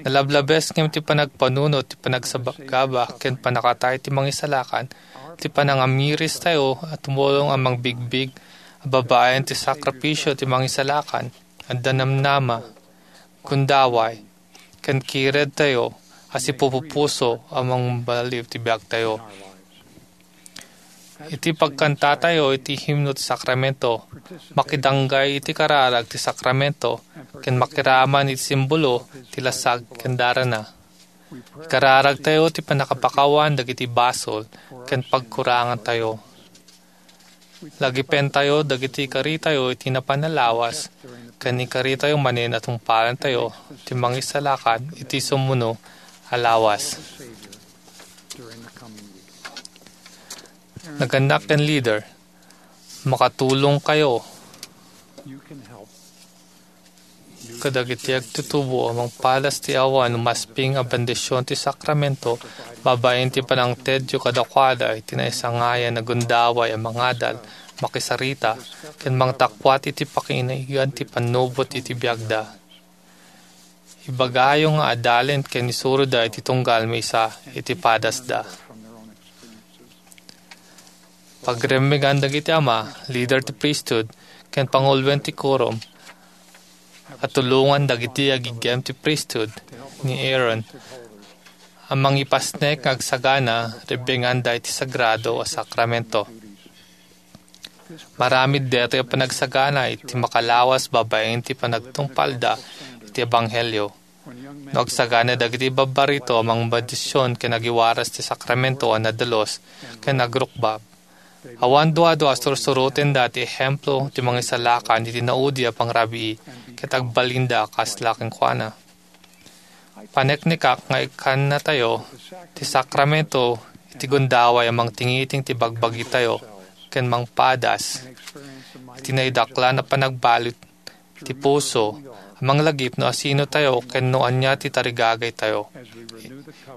Nalablabes ngem ti panagpanunot ti panagsabagaba ken pannakatay ti mangisalakan ti panangamiristayo a tumulong a mangbigbig a babaen ti sakripisio ti mangisalakan. Adda namnama, gundaway, ken kiredtayo a sipupupuso a mangbaliw ti biagtayo. Iti pagkantatayo iti himno ti sakramento, makidanggay iti kararag ti sakramento, ken makiraman iti simbolo ti lasag ken darana. Ikararagtayo ti pannakapakawan dagiti basol ken pagkurangantayo. Lagipentayo dagiti ikaritayo iti napan a lawas, ken ikaritayo manen a tungpalantayo ti mangisalakan iti sumuno a lawas. Nagannak ken leader, makatulongkayo kadagiti agtutubo a mangpadas ti awan umasping a bendision ti sakramento Babaen ti panangtedyo kadakuada iti naisangayab a gundaway a mangadal, makisarita, ken mangtakuat iti pakinaig ti pannubot iti biagda. Ibagayo nga adalen ken isuroda iti tunggal maysa iti padasda. Pagremmegan dagiti ama, lider ti priesthood, ken panguluen ti quorum a tulongan dagiti agiggem ti priesthood ni Aaron a mangipasnek nga agsagana rebbenganda iti sagrado a sakramento. Maramid daytoy a panagsagana iti makalawas babaen ti panagtungpalda iti ebanghelio. No agsagana dagiti babbarito a mangbendision ken agiwaras ti sakramento a nadalus ken agrukbab. Awan duadua a sursurotenda ti ehemplo ti Mangisalakan iti naudi a pangrabii ket agbalinda a kasla kenkuana. Paneknekak nga ikkannatayo ti sakramento iti gundaway a mangtingiting ti bagbagitayo ken mangpadas iti naidaklan a panagbalut ti puso a manglagip no asinotayo ken no ania ti tarigagaytayo.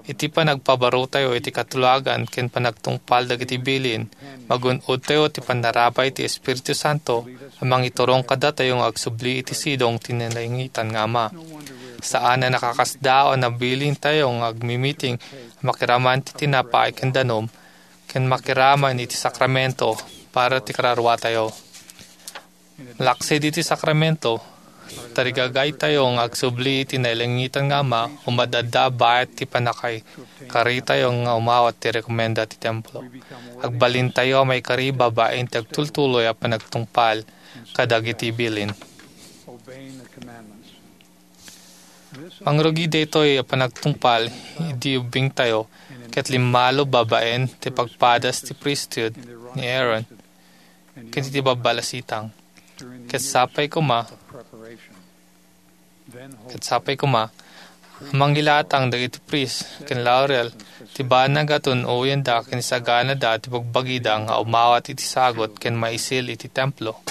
Iti panagpabarotayo iti katulagan ken panagtungpal dagiti bilin, magun-odtayo ti pannarabay ti Espiritu Santo a mangiturong kadatayo nga agsubli iti sidong ti nalaingitan nga Ama. Saan a nakakasdaaw a nabilintayo nga agmimiting a makiraman ti tinapay ken danum ken makiraman iti sakramento para ti kararuatayo. Malaksid iti sakramento, tarigagaytayo nga agsubli iti nailangitan nga Ama, umadda bayat ti pannakaikaritayo nga umawat ti rekomenda ti templo. Agbalintayo a maikari babaen ti agtultuloy a panagtungpal kadagiti bilin. Mangrugi daytoy a panagtungpal idi ubbingtayo ket limmalo babaen ti pagpadas ti priesthood ni Aaron ken iti babbalasitang. Ket sapay koma, ket sapay koma, a mangilatang dagiti priest ken laurel ti banag a tun-oyenda ken isaganada ti bagbagida nga umawat iti sagut ken maisil iti templo.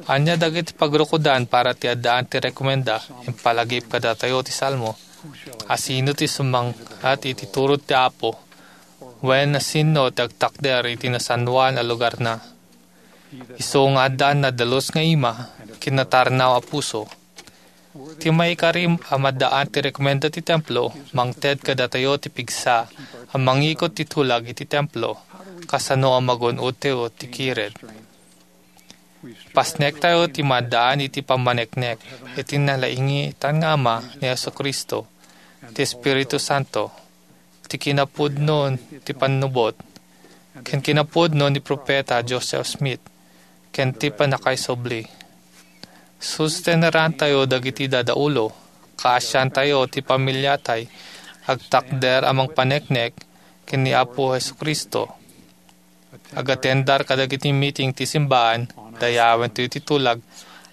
Ania dagiti pagrukodan para ti addaan ti rekomenda? Impalagip kadatayo ti Salmo, "Asino ti sumang-at iti turod ti Apo? Wen asino ti agtakder iti nasannuan a lugarna?" Isu nga addaan nadalus nga ima ken natarnaw a puso. Ti maikari a maddaan ti rekomenda ti templo, mangted kadatayo ti pigsa a mangikot ti tulag iti templo, kasano a magun-odtayo ti kired. Pasnektayo ti maddaan iti pammaneknek iti nalaingitan nga Ama ni Jesu-Cristo, ti Espiritu Santo, ti kinapudno ti pannubot, ken kinapudno ni Profeta Joseph Smith, ken ti pannakaisubli. Sustenerantayo dagiti dadaulo, kaasiantayo ti pamiliatay, agtakder a mangpaneknek ken ni Apo Jesu-Cristo. Agatendar kadagiti meeting ti simbaan, dayawentayo ti tulag,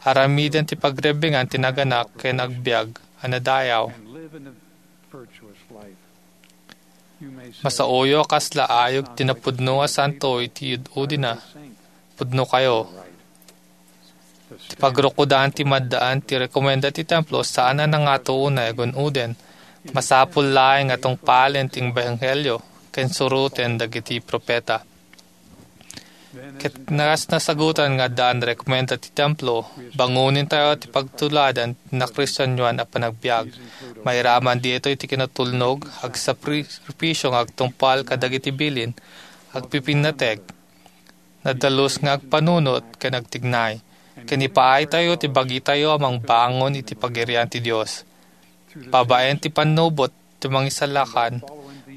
aramiden ti pagrebbengan ti naganak ken agbiag a nadayaw. Masaoyo a kasla ayog ti napudno a santo iti ud-udina. Pudnokayo. Ti pagrukodan ti maddaan ti rekomenda ti templo saan a nangato unay a gun-oden. Masapul laeng a tungpalen ti ebanghelio ken suroten dagiti profeta. Ket kas nasagutan nga addaan rekomenda ti templo, bangonintayo ti pagtuladan ti nakristianoan a panagbiag. Mairaman ditoy ti kinatulnog, agsakripisio nga agtungpal kadagiti bilin, agpipinnateg, nadalus nga agpanunot ken agtignay, ken ipaaytayo ti bagitayo a mangbangon iti pagirian ti Dios. Babaen ti pannubot ti mangisalakan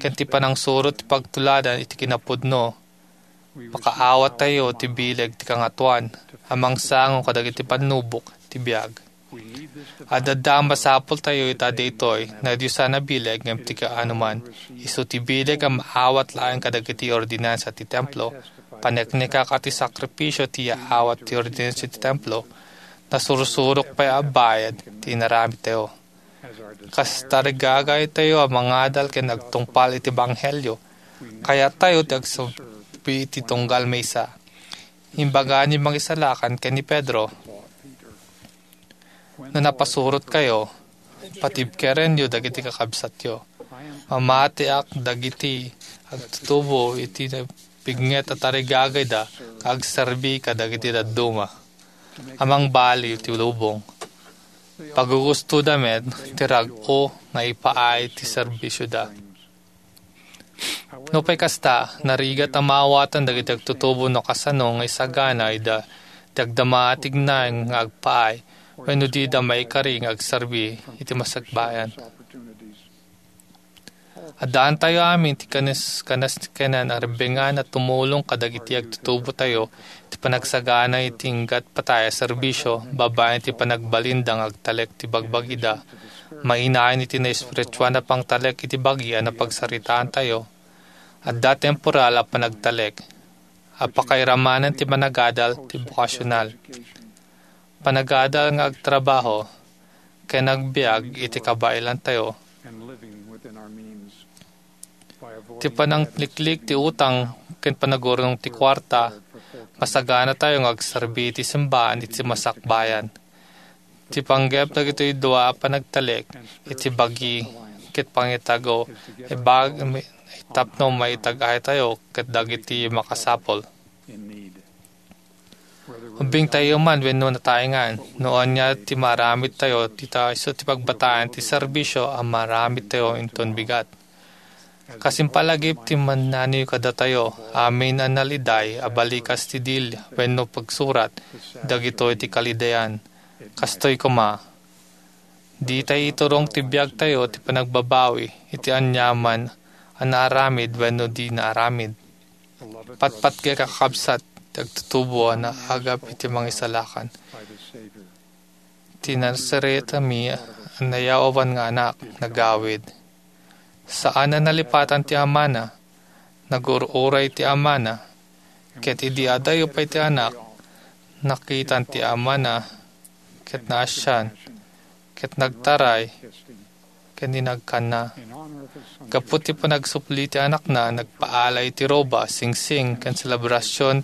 ken ti panangsurot ti pagtuladan iti kinapudno, makaawattayo ti bileg ti Kangatoan a mangsango kadagiti pannubok ti biag. Adda a masapultayo ita daytoy nadiosan a bileg ngem ti kaanoman. Isu ti bileg a maawat laeng kadagiti ordinansa ti templo. Paneknekak a ti sakripisio ti yaawat ti ordinansa ti templo. Nasursurok pay a bayad ti inaramidtayo. Kas tarigagaytayo a mangadal ken agtungpal iti ebanghelio, kayattayo ti agsubli iti tunggal maysa. Imbaga ni Mangisalakan ken ni Pedro, "No napasurotkayo, patibkerenyo dagiti kakabsatyo." Mamatiak dagiti agtutubo iti napignet a tarigagayda nga agserbi kadagiti dadduma a mangbaliw ti lubong. Pagugustoda met ti rag-o nga ipaay ti serbisioda. Nupay kasta, narigat a maawatan dagiti agtutubo no kasano nga isagana ida ti agdama a tignaen nga agpaay wenno dida maikari nga agserbi iti masakbayan. Addaantayo amin ti kanes-, kanes-, kanan a rebbengan a tumulong kadagiti agtutubotayo ti panagsagana iti inggat patay a serbisio babaen ti panagbalinda nga agtalek ti bagbagida. Mainayon iti naespirituan a pangtalek iti bagi a napagsaritaantayo. Adda temporal a panagtalek a pakairamanen ti managadal ti bokasional, panagadal nga agtrabaho, ken agbiag iti kabaelantayo. Ti panangliklik ti utang ken panagurnong ti kuarta, masaganatayo nga agserbi iti simbahan iti masakbayan. Ti panggep dagitoy dua a panagtalek iti bagi ket pangitago, ibag-, tapno maitag-aytayo ket dagiti makasapul. Ubbingtayo man wenno nataengan, no ania ti maaramidtayo, ti ta isu ti pagbataen ti serbisio a maaramidtayo inton bigat. Kas impalagip ti mannaniyo kadatayo, amin a naliday a balikas ti dil wenno pagsurat, dagitoy ti kalidayan. Kastoy koma, ditay iturong ti biagtayo ti panagbabawi iti aniaman a naaramid wenno di naaramid. Patpatgek a kakabsat ti agtutubo a naagap iti mangisalakan. Ti Nazaretami a nayawan nga anak, nagawid. Saan a nalipatan ti amana, nagur-uray ti amana, ket idi adayo pay ti anak, nakitan ti amana, ket naasian, ket nagtaray, ken inagkanna. Gapu ti panagsubli ti anakna, nagpaala iti roba, singsing, ken selebrasion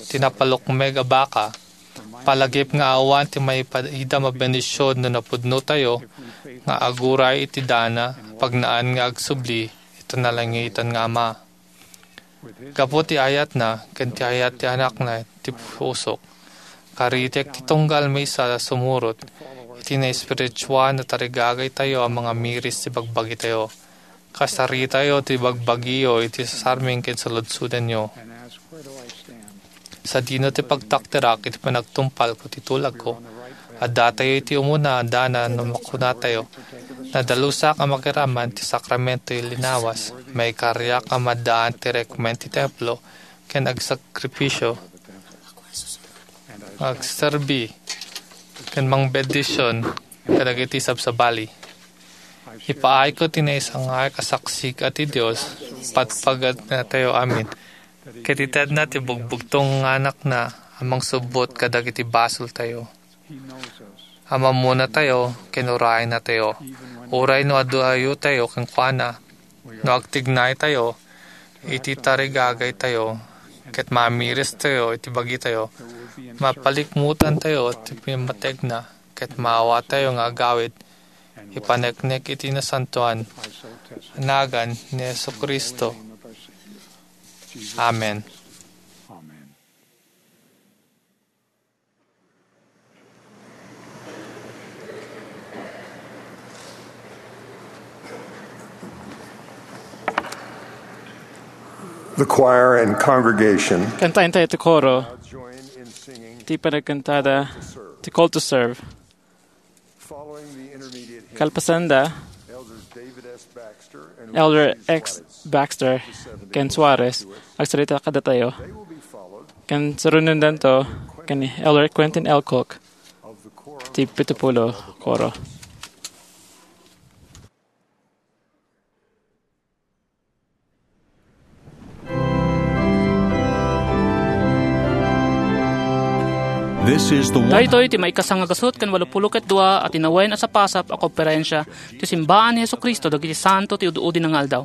ti napalukmeg a baka. Palagip nga awan ti maipaidam a bendision no napudnotayo nga aguray iti dana, pagnaan nga agsubli iti nalangitan nga Ama. Gapu ti ayatna ken ti ayat ti anakna ti pusok, karitek ti tunggal maysa a sumurot iti naespirituan a tarigagaytayo a mangamiris ti bagbagitayo. Kasaritayo ti bagbagiyo iti sasarming ken saludsodanyo. Sadino ti pagtakderak iti panagtumpalko ti tulagko? Addatayo iti umuna a dana no makunatayo, nadalusak a makiraman ti sakramento ti linawas, maikariak a maddaan ti rekmen ti templo, ken agsakripisio, agserbi, ken mangbendision kadagiti sabsabali. Ipaayko ti naisangak a saksik a ti Dios, patpaganatayo amin, ket itedna ti bugbugtong nga Anakna a mangsubbot kadagiti basoltayo. Amammunatayo ken urayennatayo, uray no adu-ayotayo kenkuana, no agtignaytayo iti tarigagaytayo, ket mamiristayo iti bagitayo, mapalikmutantayo ti pammategna, ket maawatayo nga agawid, ipaneknek iti nasantoan a nagan ni Jesu-Cristo. Amen. The choir and congregation Kantaentayo ti koro, join in singing ti panagkantada, ti Call to Serve. Following the intermediate hymn, Kalpasanda, Elders David S. Baxter and Elder Lucy X. Suarez Baxter ken Suarez, agsarita kadatayo. They will be followed Ken surunendanto ken ni Elder Quentin L. Cook of the Quorum ti Pitupulo Koro. This is the one Daytoy ti maikasang a gasut ken walopulo ket dua a tinawen a sapasap a konferensia ti Simbaan ni Jesu-Cristo dagiti Santo ti Ud-udi nga Aldaw.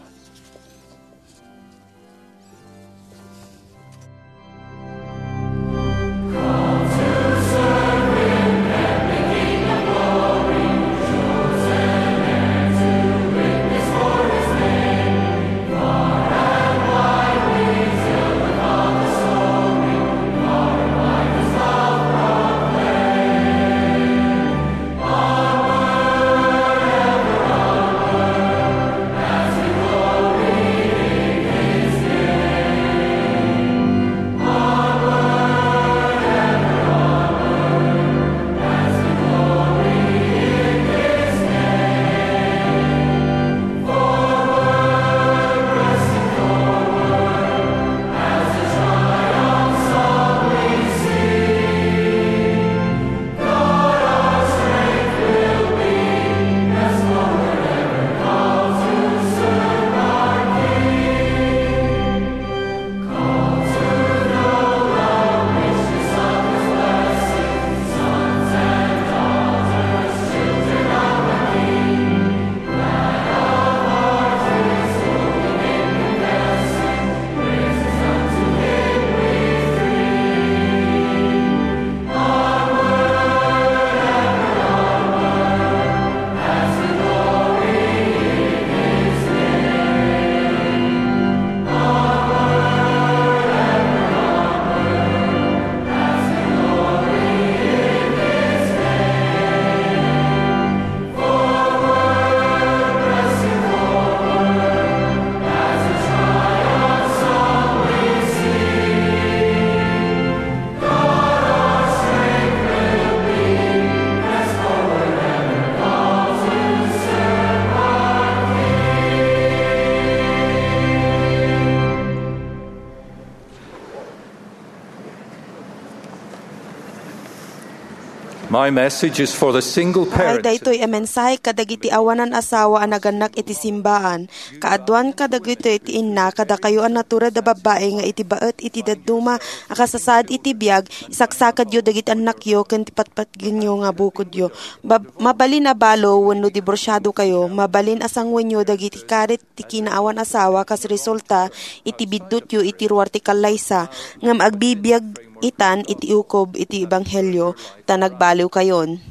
My message is for the single Ay, parent. Daytoy a mensahe kadagiti awanan asawa a nagannak iti simbaan. Kaaduan kadagitoy ti inna kadakayo a natured a babbai nga iti baet iti dadduma a kasasaad iti biag, isaksakadyo dagiti annakyo ken ti patpatgenyo nga bukodyo. Bab-, mabalin a balo wenno diborsiado kayo, mabalin a sanguenyo dagiti karit ti kinaawan asawa kas resulta iti biddutyo iti ruar ti kallaysa, ngem agbibiag itan iti ukob iti ebanghelio, ta nagbaliwkayon.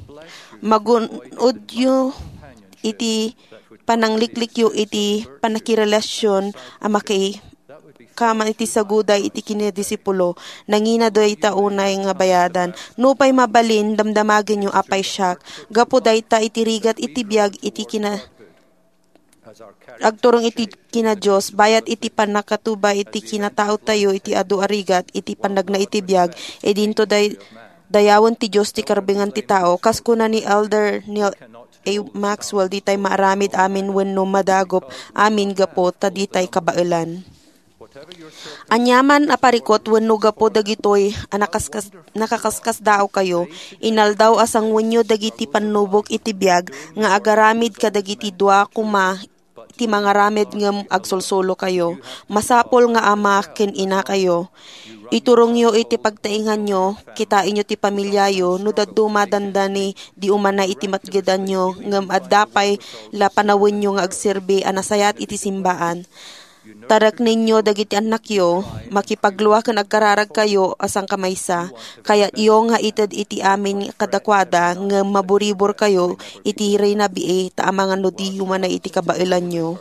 Magun-odyo iti panangliklikyo iti pannakirelasion a maki-, kaman iti saguday iti kinadisipulo, nangina dayta unay nga bayadan. Nupay mabalin, damdamagenyo a pay siak. Gapu dayta iti rigat iti biag iti kina-, agturong iti kina Dios, bayat iti pannakatubay iti kinataotayo iti adu a rigat iti pannagna iti biag, idinto day-, dayawen ti Dios ti karbengan ti tao. Kas kuna ni Elder Neil A. Maxwell, ditay maaramid amin wenno madagop amin gapu ta ditay kabaelan. Aniaman a parikut wenno gapu dagitoy a nakaskas-, nakakaskasdaawkayo, inaldaw a sanguenyo dagiti pannubok iti biag nga agaramid kadagiti dua koma ti mangaramid ngem agsulsulokayo. Masapul nga ama ken inakayo. Iturongyo iti pagtainganyo, kitaenyo ti pamiliayo, no dadduma dandani di umana iti matgedanyo, ngem adda pay la panawenyo nga agserbi a nasayaat iti simbaan. Tareknenyo dagiti annakyo, makipaglua ken agkararagkayo a sangkamaysa. Kayatyo nga ited iti amin kadakuada, ngem maburiborkayo iti rinabii ta amangan no diyo umana iti kabaelanyo.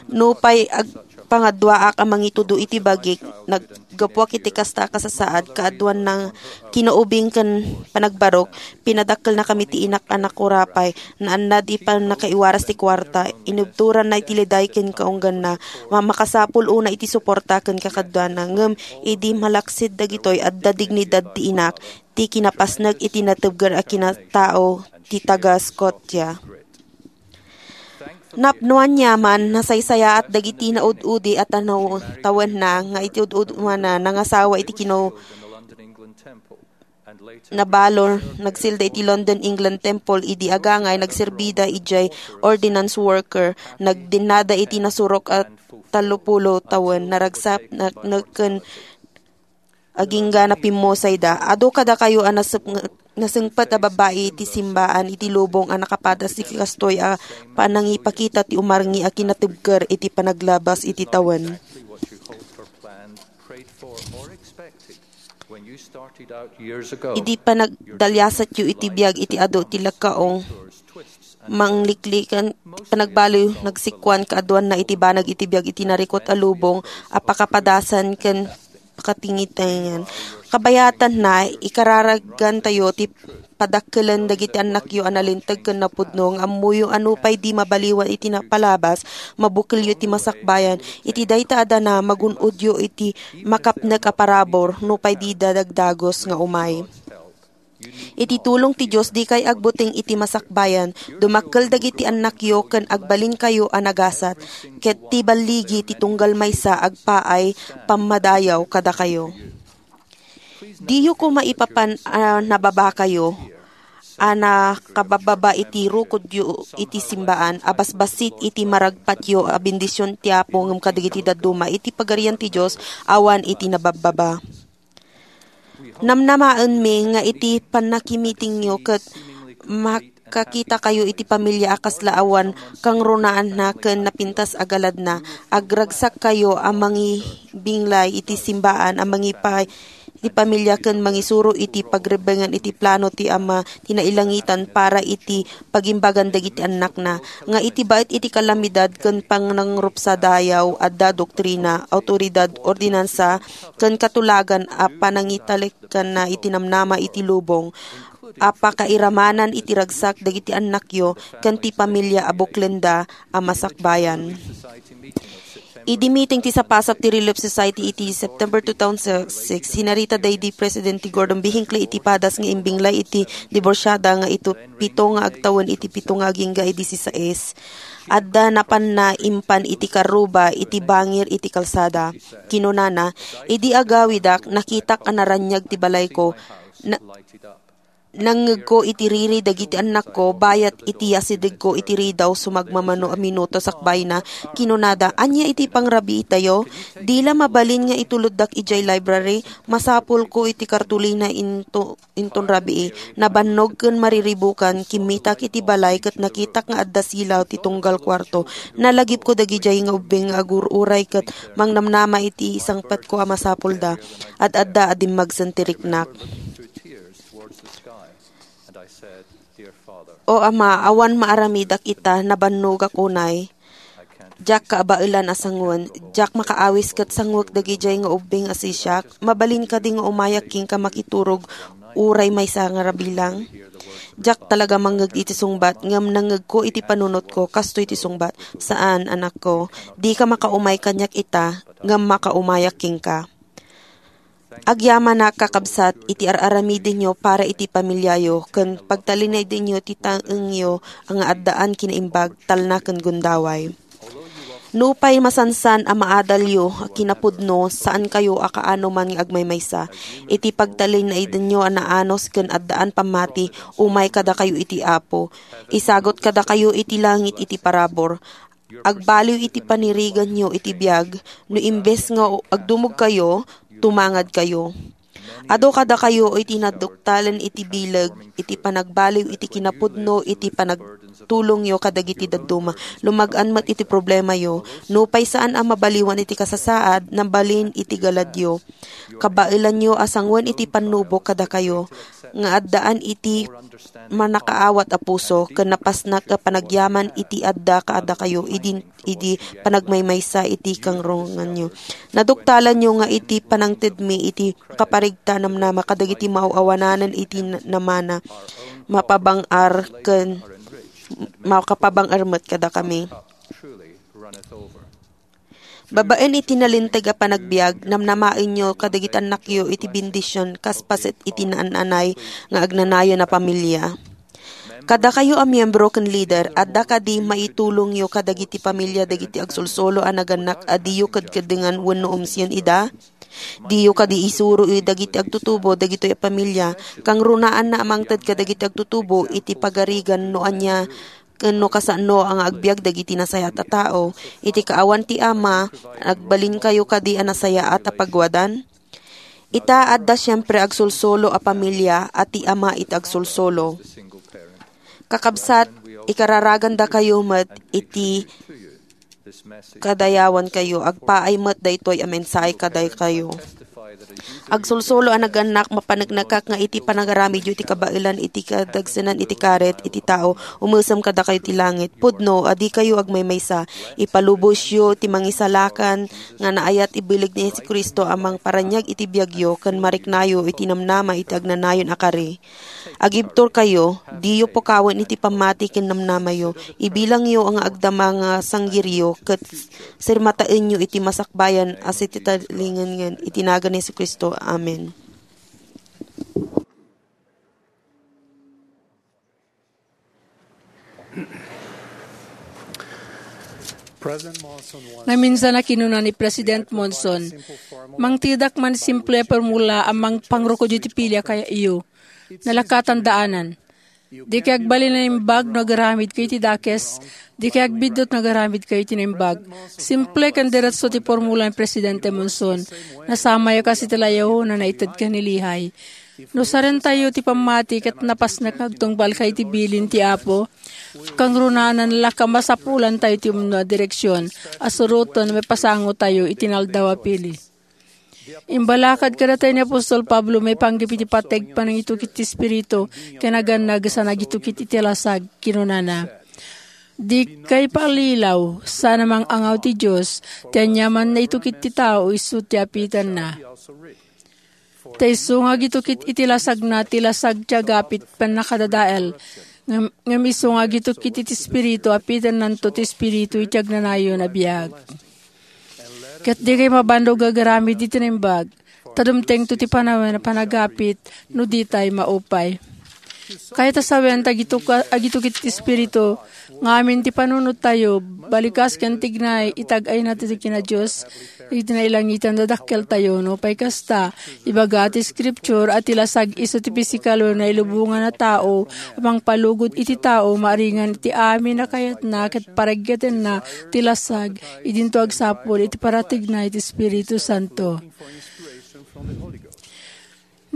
Nupay ag-, pangaduaak a mangitudo iti bagik, naggapuak iti kasta a kasasaad, kaaduan na kinaubing ken panagbarok, pinadakkelnakami ti inak a nakurapay, naannad iti pannakaiwaras ti kuarta, inubtoranna iti liday ken kaungganna, ma-, makasapul una iti suporta ken kakaduana, ngem idi malaksid dagitoy, adda dignidad ti inak, ti kinapasnek iti natebger a kinatao ti taga Scotia. Napno aniaman, nasaysayaat dagiti naud-udi a tanaw-, tawenna nga iti ud-udwana nangasawa iti kinaw-, nabalo, nagsilda iti London, England Temple, idi agangay, nagserbida idiay ordinance worker, nagdinnada iti nasurok a tallopulo tawen, naragsak, na-, nagken agingga napimmusayda. Adu kadakayo a nasep-, nasengpet a babbai iti simbaan iti lubong a nakapadas iti kastoy a panangipakita ti umarngi a kinatibker iti panaglabas iti tawen. Idi panagdaliasatyo iti biag iti adu ti lekkaong, mangliklikan, panagbaliw, nagsikuan kaaduanna iti banag iti biag iti narikut a lubong a pakapadasan ken pakatingitengan. Kabayatanna, ikararagantayo ti padakkelen dagiti annakyo a nalinteg ken napudno nga ammoyo a nupay di mabaliwan iti napalabas, mabukelyo iti masakbayan. Iti dayta a dana, magun-odyo iti makapnek a parabur, nupay dida dagdagus nga umay. Iti tulong ti Dios, dikay agbuteng iti masakbayan. Dumakkel dagiti annakyo ken agbalinkayo a nagasat, ket ti balligi ti tunggal maysa agpaay pammadayaw kadakayo. Diyo koma ipapan a nababakayo a nakabababa iti rukodyo iti simbaan a basbassit iti maragpatyo a bendision ti Apo ngem kadagiti dadduma iti Pagarian ti Dios awan iti nababbaba. Namnamaenmi nga iti pannakimitingyo ket makakitakayo iti pamilia a kasla awan kangrunaanna ken napintas a galadna. Agragsakkayo a mangibinglay iti simbaan a mangipa-, iti pamilia ken mangisuro iti pagrebbengan iti plano ti Ama ti nailangitan para iti pagimbagan dagiti annakna, nga iti baet iti kalamidad ken panangrupsadayaw adda doktrina, awtoridad, ordinansa, ken katulagan a panangitalikanna iti namnama iti lubong a pakairamanan iti ragsak dagiti annakyo ken ti pamilia a buklenda a masakbayan. Idi meeting ti sapasap ti Relief Society iti September two thousand six, sinarita daydi Presidente Gordon B. Hinckley iti padas nga imbinglay iti diborsiada nga ito pito nga agtawen iti pito nga agingga a disisais. Adda napanna impan iti karruba iti bangir iti kalsada. Kinunana, "Idi agawidak, nakitak a naraniag ti balayko. Na-, nangngegko iti riri dagiti annakko, bayat iti asidegko iti ridaw sumagmamano a minuto sakbayna, kinunada, "Ania iti pangrabiitayo? Di la mabalin nga ituloddak idiay library? Masapulko iti kartolina into, inton rabii." Nabannog ken mariribukan, kimmitak iti balay ket nakitak nga adda silaw ti tunggal kuarto. Nalagipko dagidiay nga ubbing nga agur-uray ket mangnamnama iti sangpetko a masapulda. Ad-adda a dimmagsen ti riknak. O Ama, awan maaramidak ita, nabannogak unay. Diak kaabaelan a sangoen, diak makaawis ket sangoek dagidiay nga ubbing a sisiak. Mabalin kadi nga umayak kenka makiturog uray maysa nga rabii lang? Diak talaga mangngeg iti sungbat, ngem nangngegko iti panunotko, kastoy ti sungbat, "Saan, anakko. Dika makaumay kaniak ita, ngem makaumayak kenka." Agyamanak, kakabsat, iti ar-aramidenyo para iti pamiliayo, ken pagtalinaydenyo ti taengyo a nga addaan kinaimbag, talna, ken gundaway. Nupay masansan a maadalyo a kinapudno, saankayo a kaano man nga agmaymaysa. Iti pagtalinaydenyo a naanus ken addaan pammati, umay kadakayo iti Apo. Isagut kadakayo iti langit iti parabur. Agbaliw iti paniriganyo iti biag, no imbes nga agdumogkayo, tumangadkayo. Adu kadakayo iti naduktalen iti bileg, iti panagbaliw iti kinapudno, iti panagtulongyo kadagiti dadduma. Lumag-an met iti problemayo. Nupay saan a mabaliwan iti kasasaad, nabalin iti galadyo. Kabaelanyo a sangoen iti pannubok kadakayo, nga addaan iti mannakaawat a puso, ken napasnak a panagyaman iti adda kadakayo idi, idi panagmaymaysa iti kangrunganyo. Naduktalanyo nga iti panangtedmi iti kaparigta namnama kadagiti maaw-awananen iti na-, namana, mapabang-ar ken makapabang-ar met kadakami. Babaen iti nalinteg a panagbiag, namnamaenyo kadagiti annakyo iti bendision kas paset iti naan-anay nga agnanayon a pamilia. Kadakayo a miyembro ken lider, adda kadi maitulongyo kadagiti pamilia dagiti agsulsolo a nagannak a diyo kedkedengan wenno umsien ida? Diyo kadi isuro dagiti agtutubo dagitoy a pamilia, kangrunaanna a mangted kadagiti agtutubo iti pagarigan no ania ken no kasano a nga agbiag dagiti nasayaat a tao. Iti kaawan ti Ama, agbalinkayo kadi a nasayaat a pagwadan? Ita, adda siempre agsulsolo a pamilia a ti ama iti agsulsolo. Kakabsat, ikararagandakayo met iti kadayawankayo, agpaay met daytoy a mensahe kadakayo. Agsulsolo a nagannak, mapaneknekak nga iti panagaramidyo iti kabaelan iti kadagsenan iti karit iti tao, umesem kadakayo ti langit. Pudno a dikayo agmaymaysa. Ipalubosyo ti mangisalakan nga naayat ibillig ni Jesu-Cristo a mangparaniag iti biagyo ken mariknayo iti namnama iti agnanayon a kari. Agibturkayo, diyo pukawen iti pammati ken namnamayo. Ibilangyo nga agdama nga sanggiryo ket sirmataenyo iti masakbayan a sititalingengen iti nagan ni Jesu-Cristo. Amen. Naminsan a kinuna ni President Monson, "Mangtedak man simple a formula a mangpangrukodyo iti pili a kayatyo. Nalakatandanan. Dikay agbalin a naimbag no agaramidkayo iti dakes. Dikay agbiddut no agaramidkayo iti naimbag." Simple ken diretso ti formula ni Presidente Monson. Nasamayo kas iti layaw na naited ken ni Lehi. No sarentayo ti pammati ket napasnek nga agtungpalkayo iti bilin ti Apo, kangrunaanan la, kamasapulantayo ti umno a direksion a suroten no mapasangotayo iti naldaw a pili. Imbalakad kadatayo ni apostol Pablo maipanggep iti pateg panangitukit ti Espiritu ken agannag sa nagitukit iti lasag. Kinunana, "Dikay pallilaw, saan a mang-angaw ti Dios, ti aniaman naitukit ti tao isu ti apitenna." Ta isu nga agitukit iti lasagna, ti lasag ti agapit pannakadadael. Ngem, ngem isu nga agitukit iti Espiritu, apitennanto ti Espiritu iti agnanayon a biag. Ket dikay mabannog nga agaramid iti naimbag, ta dumtengto ti panawen a panagapit no ditay maupay. Kayat a sawen ta agituka-, agitukit ti Espiritu nga amin ti panunottayo, balikas ken tignay iti ag-ayna ti kina Dios, iti nailangitan a dakkeltayo. Nupay kasta, ibaga ti Scripture a ti lasag isu ti pisikal wenno nailubongan a tao a mangpalugod iti tao maaringan iti amin a kayatna ket paraggetenna ti lasag. Idinto agsapul iti parategna iti Espiritu Santo.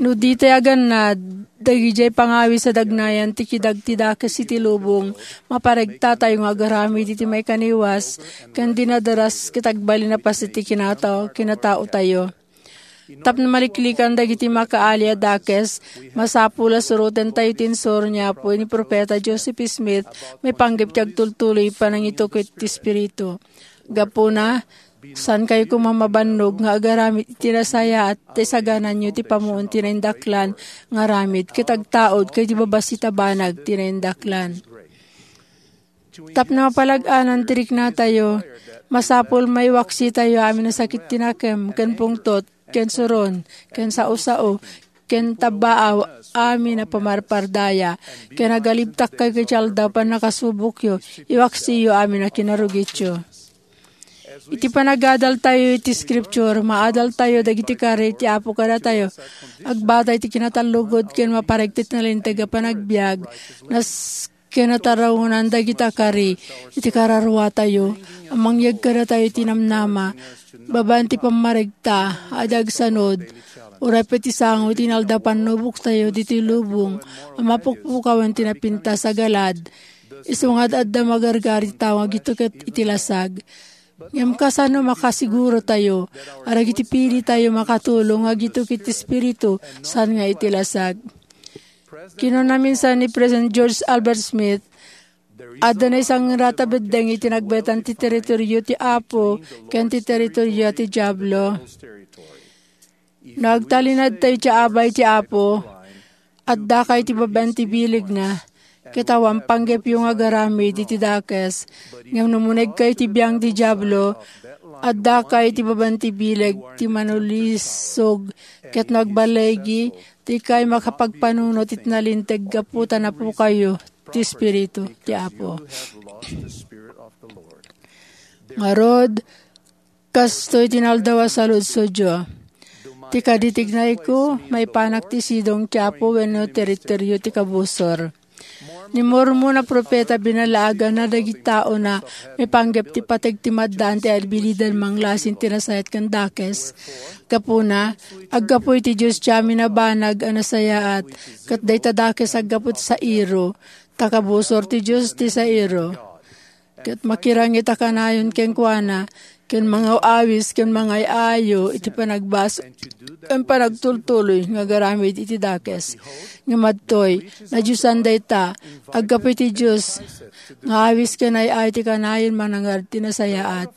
No ditay agannad, dagidiay pangawis a dagnayan ti kidag ti dakes iti lubong, maparegtatayo nga agaramid iti maikaniwas ken dinadaras ket agbalin a paset ti kinata-, kinataotayo. Tapno maliklikan dagiti makaali a dakes, masapul a surotentayo ti insuro ni Apo ni Profeta Joseph Smith maipanggep ti agtultuloy panangitukit ti Espiritu. Gapuna, saankayo koma mabannog nga agaramid iti nasayaat ta isagananyo ti pammuon ti naindaklan nga aramid ket agtaud kadagiti babassit a banag ti naindaklan. Tapno mapalag-anan ti riknatayo, masapul maiwaksitayo amin a sakit ti nakem, ken pungtot, ken suron, ken sao-sao, ken tabbaaw, amin a pamarpardaya, ken agalibtakkayo iti aldaw pannakasubokyo, iwaksiyo amin a kinarugityo. Iti panagadaltayo iti Scripture, maadaltayo dagiti kari ti Apo kadatayo. Agbata iti kinatallugod ken maparegtet nga linteg a panagbiag, nas-, ken natarawnan dagita kari iti kararuatayo a mangyeg kadatayo iti namnama, babaen ti pammaregta a di agsanud, uray pay ti sango iti inaldaw pannuboktayo ditoy lubong a mapukpukawen ti napintas a galad, isu nga ad-adda magargari ti tao nga agitukit iti lasag. Ngem kasano makasigurotayo a dagiti pilitayo makatulong nga agitukit ti Espiritu saan nga iti lasag? Kinuna minsan ni President George Albert Smith, "Adda naisangrat a beddeng iti nagbaetan ti teritorio ti Apo ken ti teritorio ti Diablo." No agtalinadtayo iti abay ti Apo, addaka iti babaen ti bilegna, ket awan panggepyo nga agaramid iti dakes. Ngem no munegka iti biang ti Diablo, addaka iti babaen ti bileg ti manulisog, ket no agballigi, dikay makapagpanunot iti nalinteg gapu ta napukayo ti Espiritu ti Apo. Ngarud, kastoy ti inaldaw a saludsodyo. Ti kadi ti ignayko, maipanak ti sidong ti Apo wenno teritorio ti kabusor? Ni Mormon a profeta binalaaganna dagiti taona maipanggep ti pateg ti maddaan ti abilidan manglasin ti nasayaat ken dakes. Gapuna, aggapu iti Dios ti amin a banag a nasayaat, ket dayta dakes aggapu ti sairo, ta kabusor ti Dios ti sairo. Ket makirangit a kanayon kenkuana, ken mangaw-awis, ken mangay-ayo iti panagbasol ken panagtultuloy nga agaramid iti dakes. Ngem adtoy, nadiosan dayta, aggapu iti Dios, nga awis ken ay-ayo ti kanayon manangad ti nasayaat.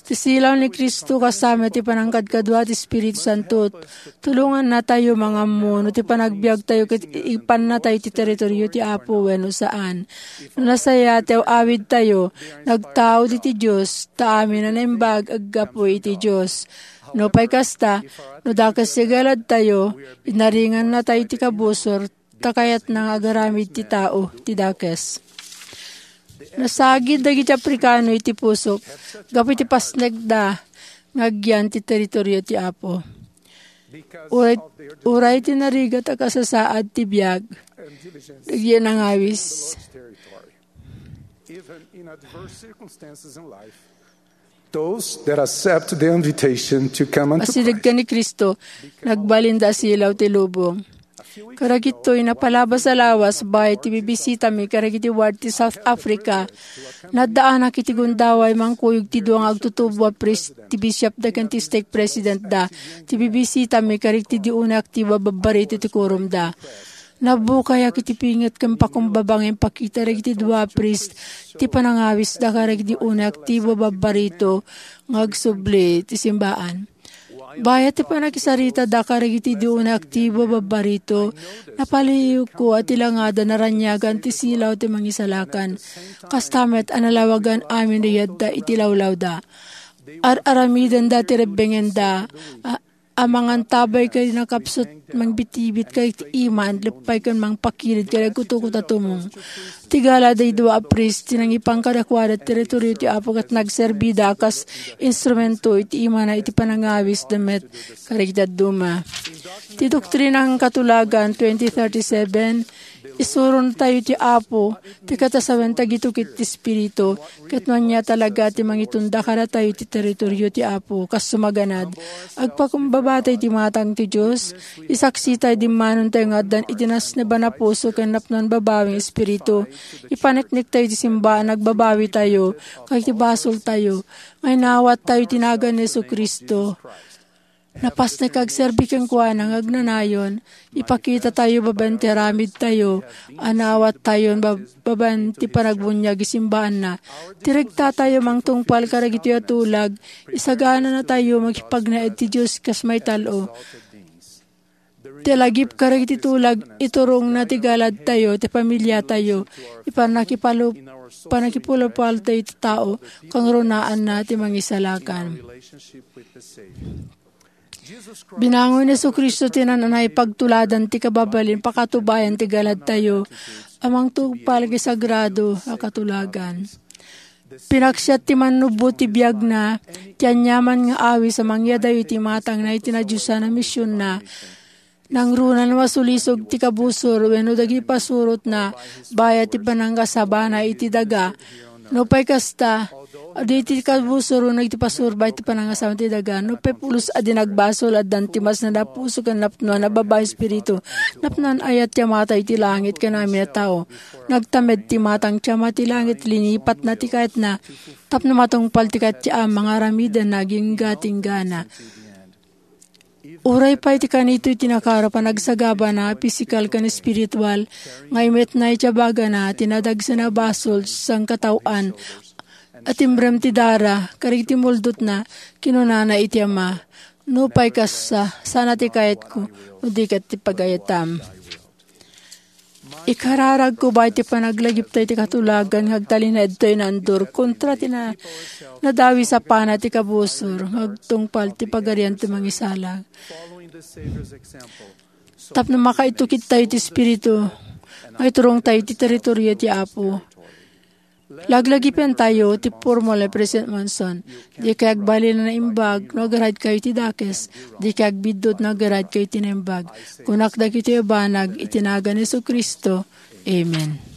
Ti silaw ni Cristo kas met ti panangkadkadua ti Espiritu Santo, tulongannatayo mangammo no ti panagbiagtayo ket ipannatayo ti teritorio ti Apo wenno saan. No nasayaat ti aw-awidtayo, nagtaud iti Dios, ta amin a naimbag aggapu iti Dios. Nupay kasta, no dakes ti galadtayo, inaringannatayo ti kabusor, ta kayatna nga agaramid ti tao ti dakes. Nasagid dagiti Afrikano iti pusok gapu iti pasnekda nga agyan ti teritorio ti Apo. Uray, uray ti narigat a kasasaad ti biag, dagiti nangawis. Even in adverse circumstances in life, those that accept the invitation to come unto Asideg Christ. Ken ni Cristo, nagbalinda a silaw ti lubong. Kadagitoy, napalabas a lawas, bay ti bibisitami kadagiti ward ti South Africa. Naddaanak iti gundaway mangkuyog ti dua nga agtutubo a priest, ti bishopda ken ti stake presidentda. Ti bibisitami kadagiti di unay aktibo a babbarito ti kurumda. Nabukayak iti pinget ken pakumbaba nga impakita dagiti dua a priest ti panangawisda kadagiti unay aktibo a babbarito nga agsubli ti simbaan. Bayat ti pannakisaritada kadagiti di unay aktibo a babbarito, napalihiyko a ti langada naraniagan ti silaw ti Mangisalakan. Kasta met a nalawagan amin dayta iti lawlawda. Ar-aramidenda ti rebbengenda, a-, a mangantabay ken nakapsut, mangbitbit ken iman, leppay ken mangpakirid ken agkutkot a tumong. Ti gala dagiti dua a priest ti nangipan kadakuada ti teritorio ti Apo ket nagserbida a kas instrumento iti imana iti panangawis da met kadagiti dadduma. Ti doktrina ken katulagan twenty thirty-seven, isurontayo ti Apo, ti katasawen tagitukit ti Espiritu, ket no ania talaga ti mangitunda kadatayo ti teritorio ti Apo, kas sumaganad. Agpakumbabatayo ti matang ti Dios, isaksitayo, dimmanontayo nga addan iti nasneban a puso ken napnoan babawi nga espiritu. Ipanikniktayo ti simbaan, agbabawitayo, ket iti basoltayo, nga inawattayo ti nagan ni Jesu-Cristo. Napasnek nga agserbi kenkuana nga agnanayon, ipakitatayo babaen ti aramidtayo, a naawattayon bab-, babaen ti panagbuniag isimbaanna. Ti regtatayo mangtungpal kadagitoy a tulag, isagananatayo makipagnaed ti Dios kas maital-o. Ti lagip kadagiti tulag, iturongna ti galadtayo, ti pamiliatayo, ipannakipalu-, pannakipalupaltayo ti tao, kangrunaanna ti mangisalakan. Binangon ni Jesu-Cristo ti naan-anay pagtuladan ti kababalin pakatubayan ti galadtayo a mangtungpal iti sagrado a katulagan. Pinaksiat ti mannubbo ti biagna, ti aniaman nga awis a mangyadayo iti matangna iti nadiosan a misionna. Nangruna no masulisog ti kabusor wenno dagiti pasurotna bayat ti panangkasabana iti daga. Nupay kasta, adu iti kabusor wenno iti pasur bayat ti panangkasabana iti daga. Nupay pulos a di nagbasol, addan ti masnad a puso ken napnoan a babai espiritu. Napnoan ayat ti Amatayo iti langit ken amin a tao. Nagtamed ti matang ti Ama ti langit, linipatna ti kayatna tapno matungpal ti kayat ti Ama nga aramidenna agingga ti inggana. Uray pay ti kanito iti nakaro panagsagabana, pisikal ken espiritual, nga imetna iti abagana ti nadagsen a basol sangkataoan a timbrem ti dara kadagiti muldotna, kinunana iti Ama, "Nupay kasta, sana ti kayatko, no di ket ti pagayatam." Ikararagko bay ti panaglagiptayo ti katulagan nga agtalinaedtayo naandur kontra ti na-, nadawis a pana ti kabusor nga agtungpal ti Pagarian ti Mangisala. Tapno makaitukittayo ti Espiritu nga iturongtayo ti teritorio ti Apo. Laglagipentayo ti purmol ni President Monson. Dikay agbalin a naimbag no agaradkayo iti dakes. Dikay agbiddut no agaradkayo iti naimbag. Kunak dagitoy a banag iti nagan ni Jesu-Cristo. Amen.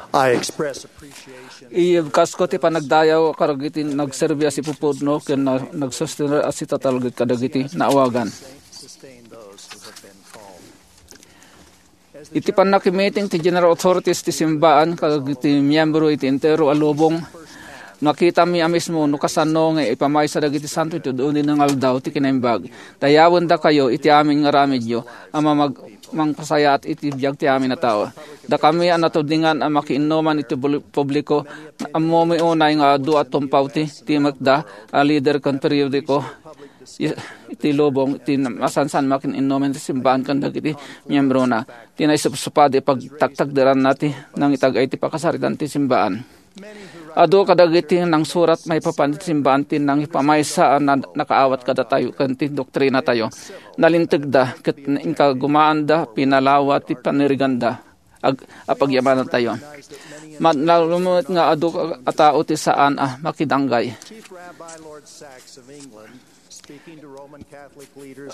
I express appreciation. Iyebkasko ti panagdayaw kadagiti nagserbi a sipupudno ken na-, nagsustenir a sitatalged kadagiti naawagan. Iti pannakimiting ti General Authorities ti simbaan kadagiti miyembro iti entero a lubong, makitami a mismo no kasano nga ipamaysa dagiti santo iti ud-uni nga aldaw ti kinaimbag. Dayawendakayo iti amin nga aramidyo a mamag-, mangpasayaat iti biag ti amin a tao. Dakami a natudingan a makiinnuman iti bul-, publiko, ammomi unay nga adu a tumpaw ti timekda a lider ken periodiko i-, iti lubong ti masansan makiinnuman ti simbaan ken dagiti miyembrona. Ti naisupsupadi pagtaktakderanna ti nangitag-ay ti pakasaritan ti simbaan. Adu kadagiti nangsurat maipapan iti simbaan ti nangipamaysa a na-, nakaawat kadatayo ken ti doktrinatayo. Nalintegda ket inkagumaanda pinalawa ti paniriganda ag-, a pagyamanantayo. Mat-, nalumit nga adu a tao ti saan a makidanggay.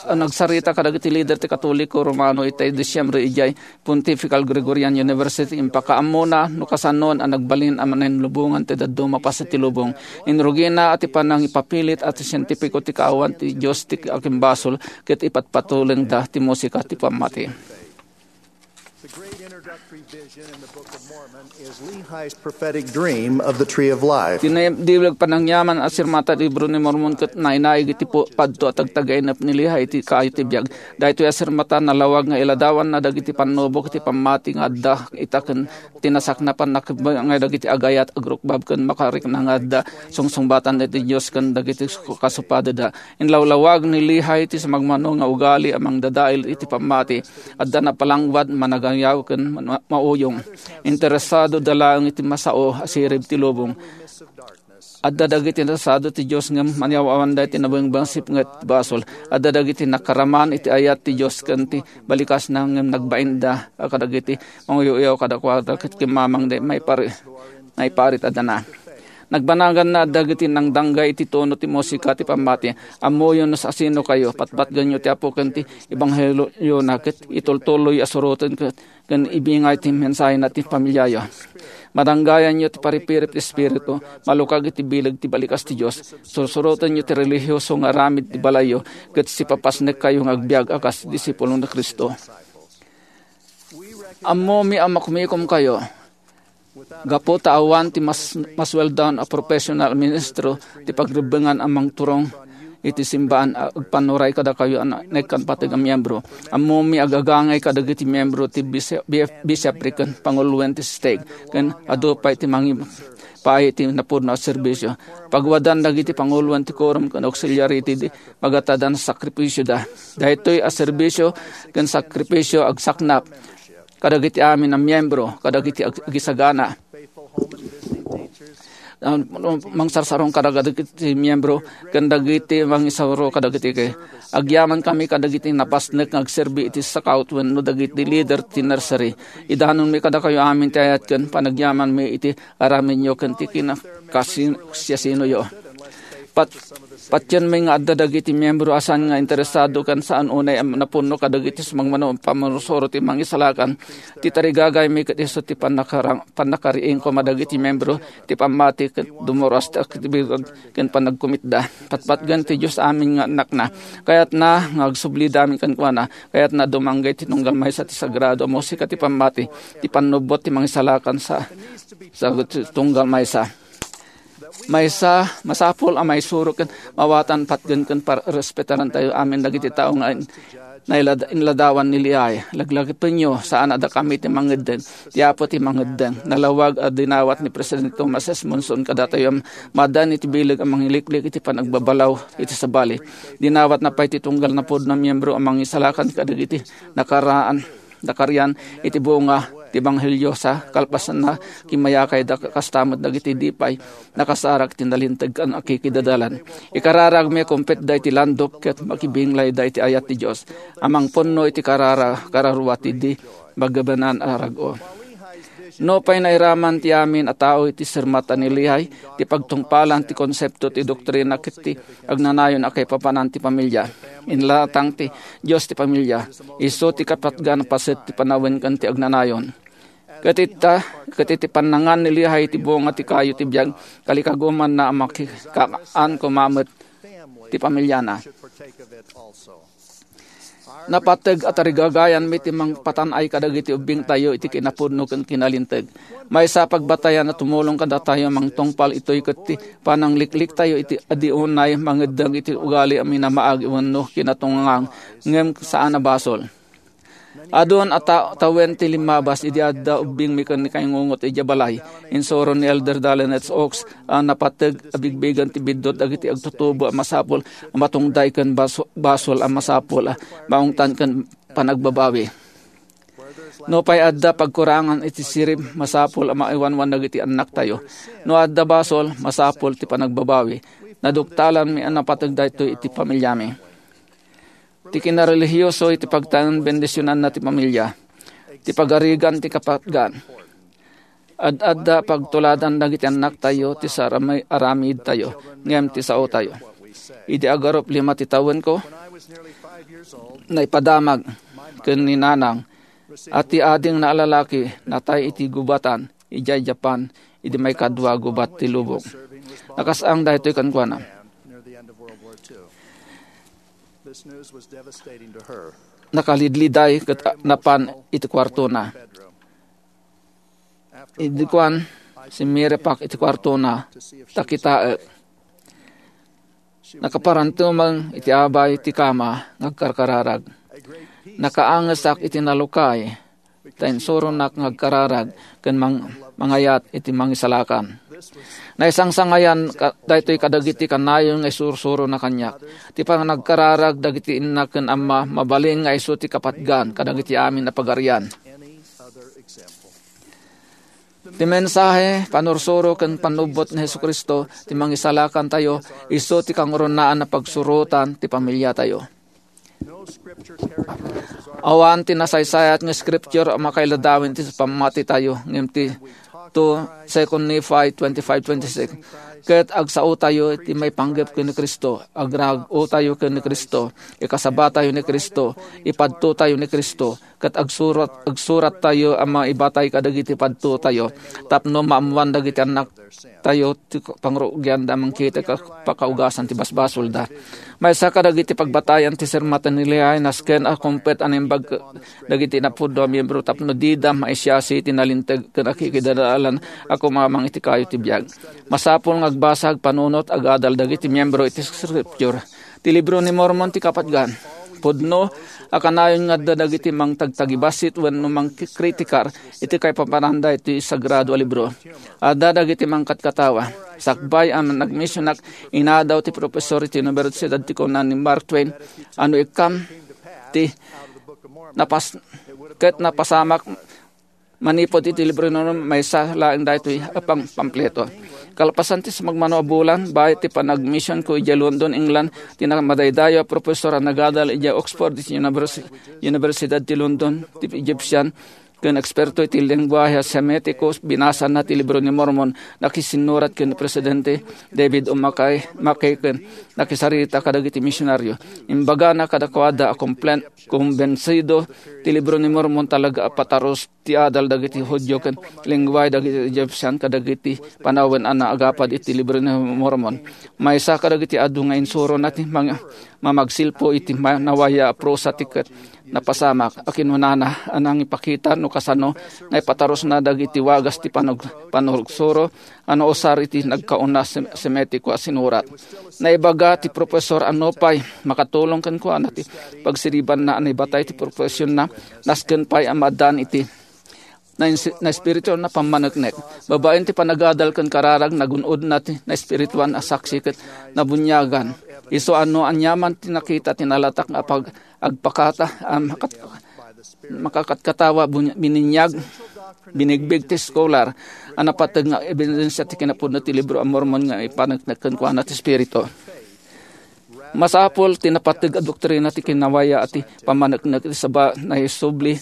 A nagsarita kadagiti lider ti Katoliko Romano iti Disyembre idiay Pontifical Gregorian University, impakaammona no kasanon a nagbalin a manenlubongan ti dadduma paset ti lubong. Inrugina a ti panangipapilit a ti sientipiko ti kaawan ti Dios ti akimbasol ket ipatpatulengda ti musika ti pammati. The great introductory vision in the Book of Mormon is Lehi's prophetic dream of the Tree of Life. Ti naibdiwlag panangyaman a sirmata ti Libro ni Mormon ket nainaig iti pu-, padto a tagtagainep ni Lehi iti kayo ti biag. Daytoy a sirmata nalawag nga iladawanna dagiti pannubok iti pammati nga adda ita ken ti nasaknapan nga dagiti agayat, agrukbab ken makarikna nga adda sungsungbatan iti Dios ken dagiti kasupadeda. Inlawlawag ni Lehi ti sumagmamano nga ugali a mangdadael iti pammati. Adda napalangwad managan yaw ken ma-, mauyong. Interesado da laeng iti masao a sirib ti lubong. Adda dagiti nasado ti Dios ngem maniaw-awanda iti nabangbangsip nga basol. Adda dagiti nakaraman iti ayat ti Dios ken ti balikasna ngem nagbainda a kadagiti manguyaw-uyaw kadakuada ket kimmamangda maipar-, maiparit a dana. Nagbanaganna dagiti nangdanggay iti tono ti musika ti pammati. Ammoyo no asino kayo, patpatgenyo ti Apo ken ti ebanghelio na ket itultuloy a suroten ket ken ibingay ti mensahena ti pamiliayo. Madanggayanyo ti paripirip ti Espiritu, malukag iti bileg ti balikas ti Dios. Sursurotenyo ti relihioso nga aramid ti balayyo, ket sipapasnekkayo nga agbiag a kas disipulo ni Cristo. Ammomi a makumikomkayo. Gapu ta awan ti mas-, masueldoan a profesional a ministro ti pagrebbengan a mangturong iti simbaan a agpannuray kadakayo a na-, naikkan pateg a miyembro. Ammomi a gagangay kadagiti miyembro ti bisi-, bi-, bishopric ken panguloen ti stake, ken adu pay ti mangi-, pay ti napudno a serbisio. Pagwadan dagiti panguloen ti quorum ken auxiliary ti di-, magatadan sakripisioda. Daytoy a serbisio ken sakripisio agsaknap kadagiti amin a miyembro, kadagiti ag-, agisagana, ah, mangsarsarong kadagiti miyembro, ken dagiti mangisuro kadagiti ke-, agyaman kami kadagiti napasnek nga agserbi iti scout wenno dagiti leader ti nursery. Idanonmi kadakayo amin ti ayat ken panagyamanmi iti aramidyo ken ti kinakasiasinoyo. Pat-, patienmi nga adda dagiti miyembro a saan nga interesado ken saan unay a napunno kadagiti sumagmamano a pamursuro ti Mangisalakan. Ti tarigagaymi ket isu ti pannakara-, pannakariing koma dagiti miyembro ti pammati ket dumuras ti aktibidad ken panagkumitda. Patpatgen ti Dios amin nga annakna. Kayatna nga agsublida amin kenkuana. Kayatna dumangge ti tunggal maysa ti sagrado a musika ti pammati, ti pannubbot ti Mangisalakan sa, sa tunggal maysa. Maysa, masapul a maisuro ken mawatan patgen ken par-, respetarantayo amin dagiti tao nga in-, nailad-, inladawan ni Lehi. Laglagipenyo, saan a dakami ti mangeddeng. Ti Apo ti mangeddeng. Nalawag a dinawat ni Presidente Thomas S. Monson kadatayo a maaddaan iti bileg a mangiliklik iti panagbabalaw iti sabali. Dinawatna pay ti tunggal napudno a miyembro a mangisalakan kadagiti nakaraan nakarian iti bunga ti ebanghelio sa kalpasanna, kimmayakayda kasta met dagiti di pay nakasarag ti nalinteg ken akikidadalan. Ikararagmi a kumpit daydi landok ket makibinglayda iti ayat ti Dios a mangpunno iti karara-, kararua ti di magabanan a rag-o. Nupay nairaman ti amin a tao iti sermata ni Lehi ti pagtungpalan ti konsepto ti doktrina ket ti agnanayon a kaipapanan ti pamilia. Inlatang ti Dios ti pamilia. Isu ti kapatgan a paset ti panawen ken ti agnanayon. Ket ita, ket iti pannangan ni Lehi ti bunga ti kayo ti biag, kalikagumanna a makikaan koma met ti pamiliana. Napateg a tarigagayanmi ti mangpatan-ay kadagiti ubbingtayo iti kinapudno ken kinalinteg. Maysa a pagbatayan a tumulong kadatayo a mangtungpal itoy ket ti pananglikliktayo iti adi unay mangeddeng iti ugali a minamaag wenno kinatungang ngem saan a basol. Adun a ta-, tawen ti limmabas idi adda ubbingmi ken ni Kaingungot idiay balay. Insuro ni Elder Dallin H. Oaks a napateg a bigbigen ti biddut dagiti agtutubo a masapul a matungday ken baso-, basol a masapul a maungtan ken panagbabawi. Nupay adda pagkurangan iti sirib, masapul a maiwanwan dagiti annaktayo. No adda basol, masapul ti panagbabawi. Naduktalanmi a napateg daytoy iti pamiliami. Ti kinarelihiyoso iti pagtaeng bendisionanna ti pamilia, ti pagarigan ti kapatgan. Ad-adda pagtuladan dagiti annaktayo ti sarami-, aramidtayo, ngem ti saotayo. Idi agarup lima ti tawenko, naipadamag ken ni nanang a ti adingna a lalaki natay iti gubatan idiay Japan idi maikadua gubat ti lubong. Nakasang daytoy kenkuana. Nakalidliday ket napan iti kuartona. Idi kuan, simmirepak iti kuartona, ta kitaek. Nakaparantumeng iti abay ti kama nga agkarkararag. Nakaangesak iti nalukay, ta insuronak nga agkararag ken mang-, mangayat iti Mangisalakan. Naisangsangayan ka-, daytoy kadagiti kanayon nga isursurona kaniak. Ti panagkararag dagiti inna ken amma mabalin nga isu ti kapatgan kadagiti amin a pagarian. Ti mensahe, panursuro ken pannubbot ni Jesu-Cristo ti mangisalakantayo isu ti kangrunaan a pagsurotan ti pamiliatayo. Awan ti nasaysayat nga scripture a makailadawen ti pammatitayo, ngem ti two Second Nephi twenty-five twenty-six, ket agsaotayo iti maipanggep ken ni Cristo, agrag-otayo ken ni Cristo, ikasabatayo ni Cristo, ipadtotayo ni Cristo, ket agsurat, agsurat tayo a maibatay kadagiti padtotayo, tapno maammoan dagiti annak tayo ti pangrugianda a mangkita ka pakaugasan ti basbasolda. Maysa kadagiti pagbatayan ti sermon ni Lehi, nasken a kumpet a naimbag dagiti napudno a miyembro tapno dida maisiasi ti nalinteg ken akikidadalan a kumamang iti kayo ti biag. Masapul nga agbasa, agpanunot, agadal dagiti miyembro iti Scripture. Ti Libro ni Mormon ti kapatgan. Pudno a kanayon nga adda dagiti mangtagtagibassit wenno mangkikritikar iti kaipapananda iti sagrado a libro. Adda dagiti mangkatkatawa. Sakbay a nagmisionak, inadaw ti professor iti Universidad ti Kuna ni Mark Twain a no ikkam ti napas-, ket napasamak manipud iti Libro ni Mormon, maysa laeng daytoy a pang-, pampleto. Kalpasan ti sumagmamano a bulan, baet ti panagmisionko idiay London, England, ti namadaydayaw a professor a nagadal idiay Oxford iti Univers-, Universidad ti London, ti Egyptian, ken eksperto iti lenguahe a Semitiko, binasana ti Libro ni Mormon, nakisinnurat ken Presidente David O. McKay, McKay ken nakisarita kadagiti misionario. Imbagana kadakuada a komplen-, kumbensido ti Libro ni Mormon talaga a patarus ti adal dagiti Judio ken lenguahe dagiti Egyptian kadagiti panawen a naagapad iti Libro ni Mormon. Maysa kadagiti adu nga insurona ti mang-, mamagsilpo iti ma-, nawaya a prosa ti ket napasamak a kinunana a nangipakita no kasano naipatarusna dagiti wagas ti panug-, panurugsuro a nausar iti nagkauna Sem-, Semitiko a sinurat. Naibaga ti professor a nupay makatulong kenkuana ti pagsiribanna a naibatay ti profesionna, nasken pay a maaddaan iti nainsi-, naespirituan a pammaneknek. Babaen ti panagadal ken kararag, nagun-odna ti naespirituan a saksi ket nabuniagan. Isu a no aniaman ti nakita ti nalatak nga pag-, agpakata, a makat-, makakatkatawa, bun-, bininyag, binigbig ti scholar a napateg nga ebidensia ti kinapudno ti Libro a Mormon nga ipaneknek kenkuana ti Espiritu. Masapul ti napateg a doktrina ti kinawaya a ti pammaneknek iti saba naisubli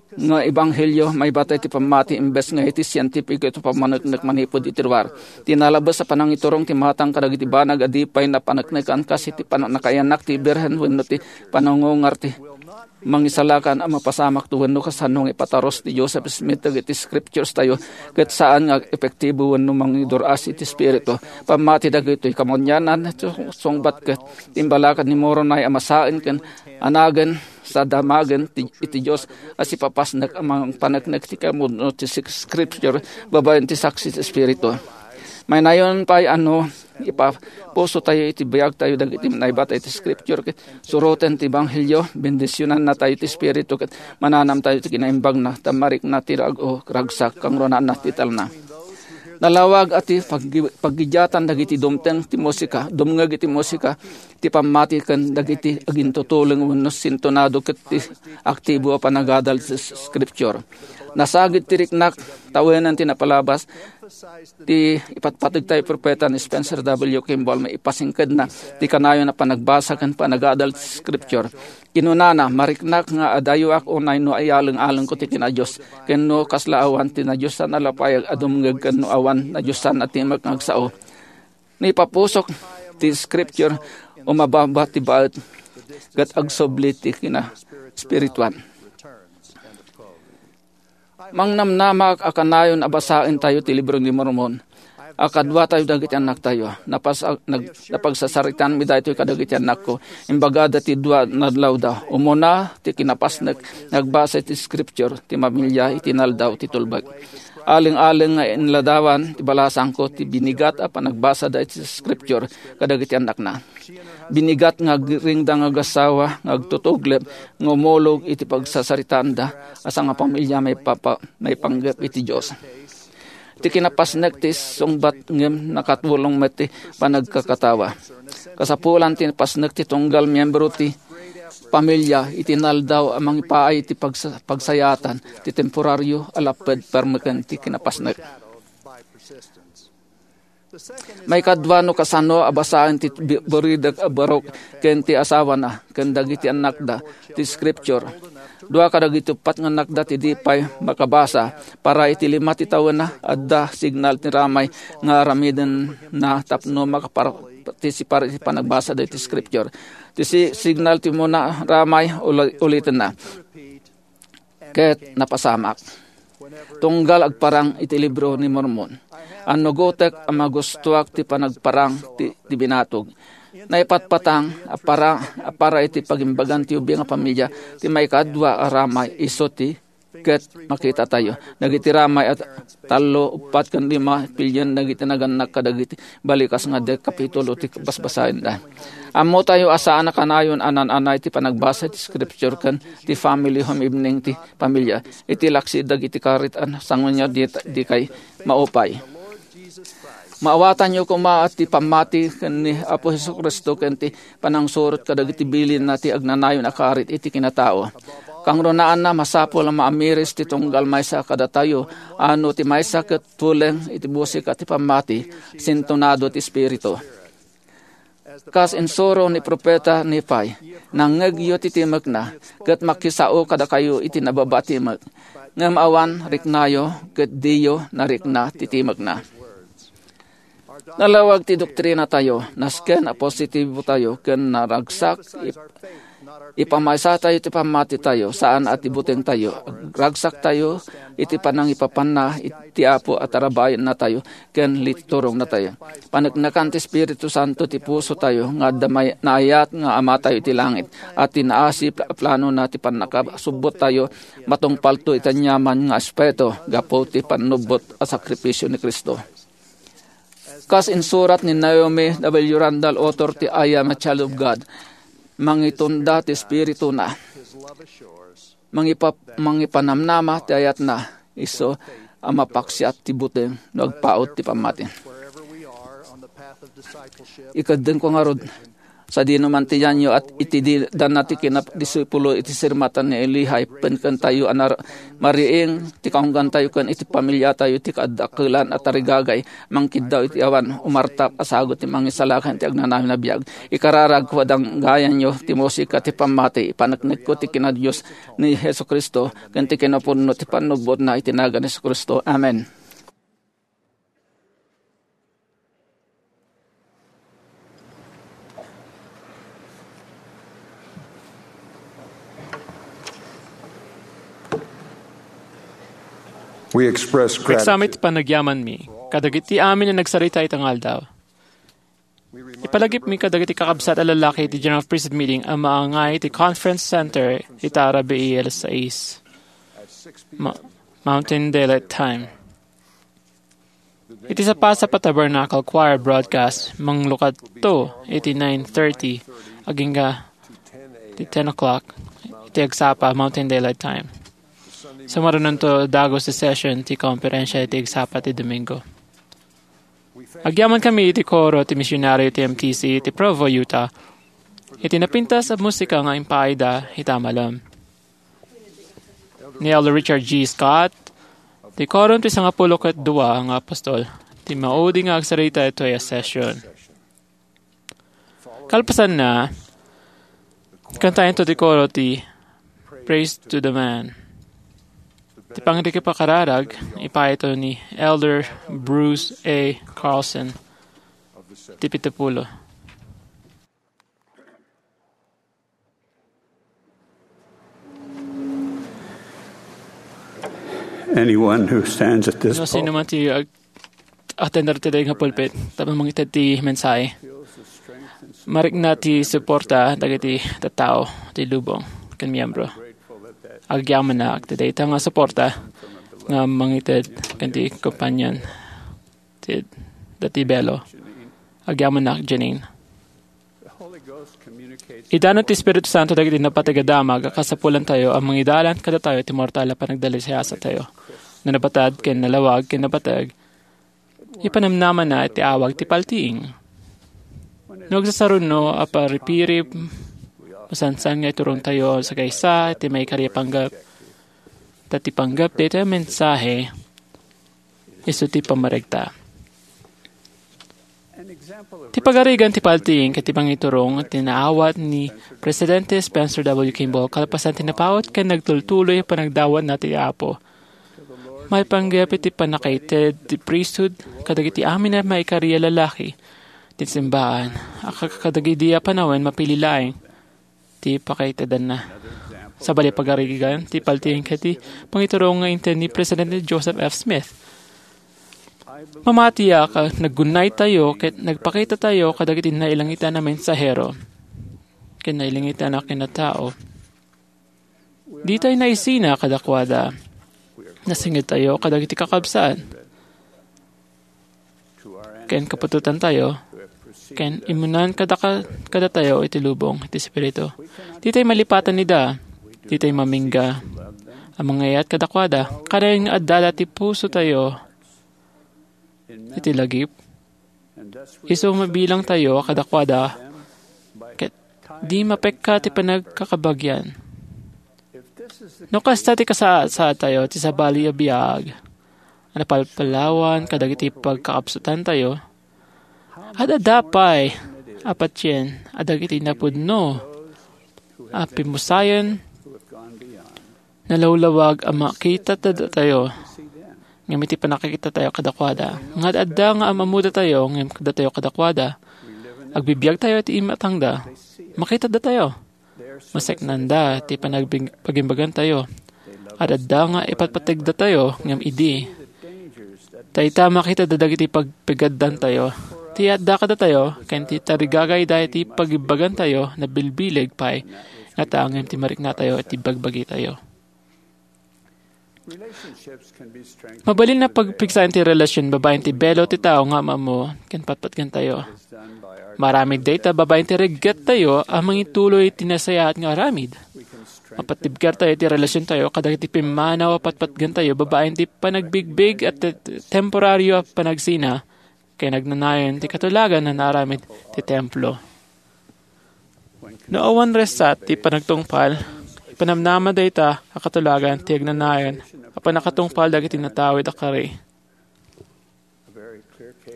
nga ebanghelio maibatay ti pammati imbes nga iti sientipiko ti pammaneknek manipud iti ruar. Ti nalabes a panangiturong ti matang kadagiti banag a di pay napaneknekan kas iti pannakaiyannak ti Birhen wenno ti panangungar ti mangisalakan a mapasamakto wenno kasano nga ipatarus ti Joseph Smith dagiti scriptures tayo ket saan nga epektibo wenno mangidur-as iti espiritu. Pammati dagitoy kamunianan, sungbat ket ti imbalakad ni Moroni a masaen ken anagen sa damagen ti, iti Dios a sipapasnek a mangpaneknek ti kamudno ti scripture babaen ti saksi ti Espiritu. Mainayon pay a no ipapuso tayo iti biag tayo dagiti naibatay ti scripture ket suroten ti ebanghelio, bendisionanna tayo ti Espiritu ket mananam tayo ti kinaimbagna ta marikna ti rag-o ragsak kangrunaan ti talna. Nalawag a ti paggi-, paggidiatan dagiti dumteng ti musika, dumngeg iti musika, ti pammati ken dagiti agintutuleng wenno sintonado ket ti aktibo a panagadal ti s-, scripture. Nasagid ti riknak, tawenen ti napalabas, ti ipatpateg tayo propeta ni Spencer W. Kimball nga ipasingkedna ti kanayon a panagbasa ken panagadal ti scripture. Kinunana, "Mariknak nga adayoak unay no ayaleng-alengko ti kinadios, ken no kasla awan ti nadiosan a lapayag a dumngeg ken no awan nadiosan a timek nga agsao. No ipapusok ti scripture, umababa ti baet, ket agsubli ti kinaspirituan." Mangnamnamak a kanayon a basaentayo ti Libro ni Mormon a kaduatayo dagiti annaktayo. Napas-, nag-, napagsasaritanmi daytoy kadagiti annakko. Imbagada ti dua nga adlawda. Umuna ti kinapasnek nga agbasa iti scripture ti mamilya iti naldaw ti tulbek. Aleng-aleng nga inladawan ti balasangko ti binigat a panagbasada iti scripture kadagiti annakna. Binigat nga agringda nga agasawa nga agtutuglep nga umulog iti pagsasaritaanda a sangapamilya maipapa-, maipanggep iti Dios. Ti kinapasnek ti sungbat ngem nakatulong met ti panagkakatawa. Kasapulan ti napasnek ti tunggal miyembro ti pamilia iti naldaw a mangipaay ti pagsa-, pagsayaatan ti temporario a lapped permeken ti kinapasnek. Maikadua, no kasano a basaen ti bi-, buridek a barok ken ti asawana ken dagiti annakda ti Scripture. Dua kadagiti uppat nga annakda ti di pay makabasa. Para iti lima ti tawenna, adda signal ti ramay nga aramidenna tapno makapartisipar iti panagbasa dagiti Scripture. Ti si-, signal ti umuna, ramay, uli-, ulitenna. Ket napasamak. Tunggal agparang iti libro ni Mormon, annugotek a magustoak ti panagparang ti, ti binatog. Naipatpatang a para, a para iti pagimbagan ti ubing a pamilia ti maikadua a ramay isu ti ket makitatayo. Dagiti ramay a tallo, uppat, ken lima, pilien dagiti nagannak kadagiti balikas nga dek kapitulo ti basbasaenda. Ammotayo a saan a kanayon a nan-anay ti panagbasa ti Scripture ken ti family home evening ti pamilia iti laksi dagiti karit a sangunya di, di kay maupay. Maawatanyo koma ti pammati ken ni Apo Jesu-Cristo ken ti panangsurot kadagiti bilinna ti agnanayon a karit iti kinatao. Kangrunaan, masapul a maamiris ti tunggal maysa kadatayo a no ti maysa ket tuleng iti musika ti pammati, sintonado ti Espiritu. Kas insuro ni Profeta Nefi, "Nangngegyo ti timekna, ket makisao kadakayo iti nababa a timek. Ngem awan riknayo, ket diyo narikna ti timekna." Nalawag ti doktrinatayo, nasken a positibo tayo, ken naragsak ip-, ipamaysatayo ti pammatitayo, saan a ti butengtayo. Ragsaktayo iti panangipapanna iti Apo a tarabayennatayo ken liturongnatayo. Paneknekan ti Espiritu Santo ti pusotayo nga adda may-, naayat nga Amatayo iti langit, a ti naasip a planona ti pannakasubbottayo matungpalto iti aniaman nga aspeto gapu ti pannubbot a sakripisio ni Cristo. Kas insurat ni Naomi W. Randall, author ti I Am a Child of God, mangitunda ti espirituna. Mangipa-, mangipanamnama ti ayatna, isu a mapaksiat ti buteng no agpaut ti pammati. Ikaddenko ngarud, sadino man ti yanyo a iti di-, danna ti kinadisipulo iti sirmatan ni Lehi, ken kentayo a nar-, mariing ti kaunggantayo ken iti pamiliatayo ti kaaddakelan a tarigagay, mangkiddaw iti awan umartak a sagut ti mangisalakan ti agnanayon a biag. Ikararagko a danggayanyo ti musika ti pammati, ipaneknekko ti kinadios ni Jesu-Cristo ken ti kinapudno ti pannubbotna iti nagan ni Jesu-Cristo. Amen. We express Eksamit gratitude. Panagyamanmi kadagiti amin a nagsarita ita nga aldaw. Ipalagipmi kadagiti kakabsat a lallaki iti General Priesthood Meeting a maangay iti Conference Center ita rabii alas sais, Ma-, Mountain Daylight Time. Iti sapasap a Tabernacle Choir broadcast, manglukato iti nine thirty agingga ti ten o'clock iti agsapa Mountain Daylight Time. Sumarunonto dagus ti session ti konferensia iti agsapa ti Domingo. Agyamankami iti koro ti misionario ti M T C iti Provo, Utah, iti napintas a musika nga impaayda ita a malem. Ni Elder Richard G. Scott, ti Korom ti Sangapulo ket Dua nga Apostol, ti maudi nga agsarita itoy a session. Kalpasanna, kantayento ti koro ti Praise to the Man. Ti pangrikipakararag, ipaayto ni Elder Bruce A. Carlson, ti pito pulo. Anyone who stands at this No sino pulpit man ti ag-, attender ti daytoy nga pulpit, tapno mangited ti mensahe. Marikna ti suporta dagiti tattao ti lubong ken miyembro. Agyamanak ti dayta nga suporta nga mangited ken ti kompanian ti, dati Belo. Agyamanak, Janine. Idanon ti Espiritu Santo dagiti napateg a damag a kasapulantayo a mangidalan kadatayo ti mortal a panagdalisayasatayo. No nabatad ken nalawag ken napateg, ipanamnamana ti awag ti paltiing. No agsasaruno a paripirip, Masansan nga iturongtayo a sagaysa ti maikari a panggep. Ta ti panggep daytoy a mensahe, isu ti pammaregta. Ti pagarigan ti paltiing ket ti pangiturong ti naawat ni Presidente Spencer W. Kimball kalpasan ti napaut ken nagtultuloy a panagdawatna ti Apo. Maipanggep iti pannakaited ti priesthood kadagiti amin a maikari a lalaki ti simbaan a kadagidi a panawen mapili laeng ti pakaitedanna. Sabali pagarigan ti paltiing ket ti pangiturong nga inted ni Presidente Joseph F. Smith. Mamatiak a naggunaytayo ket nagpakitatayo kadagiti nailangitan a mensahero ken nailangitan a kinatao. Ditay naisina kadakuada. Nasingedtayo kadagiti kakabsat ken kaputotantayo ken immunan kadaka-, kadatayo iti lubong ti Espiritu. Ditay malipatan ida. Ditay mamingga a mangayat kadakuada. Kanayon nga addada ti pusotayo iti lagip. Isu mabilangtayo kadakuada ket di mapekka ti panagkakabagian. No kasta ti kasasaadtayo ti sabali a biag a napalpalawan kadagiti pagkakabsatantayo, ad-adda pay a patien a dagiti napudno a pimusayen nalawlawag a makitadatayo ngem iti pannakakitatayo kadakuada. Nga ad-adda nga am-ammodatayo ngem datayo kadakuada. Agbibiagtayo iti imatangda. Makitadatayo. Maseknanda ti panagbig-, pagimbagantayo. Ad-adda nga ipatpategdatayo ngem idi. Ta ita makitadda dagiti pagpigaddantayo. Ti adda kadatayo ken ti tarigagayda iti pagimbagantayo nabilbileg pay ngata ngem ti mariknatayo iti bagbagitayo. Mabalin a pagpigsaen ti relasion babaen ti belo ti tao nga am-ammo ken patpatgentayo. Maaramid dayta babaen ti reggettayo a mangituloy iti nasayaat nga aramid. Mapatibkertayo iti relasiontayo kadagiti pimmanaw a patpatgentayo babaen ti panagbigbig a te-, temporario a panagsina ken agnanayon ti katulagan a naaramid ti templo. No awan resat ti panagtungpal, ipanamnama dayta a katulagan ti agnanayon a pannakatungpal dagiti natawid a kari.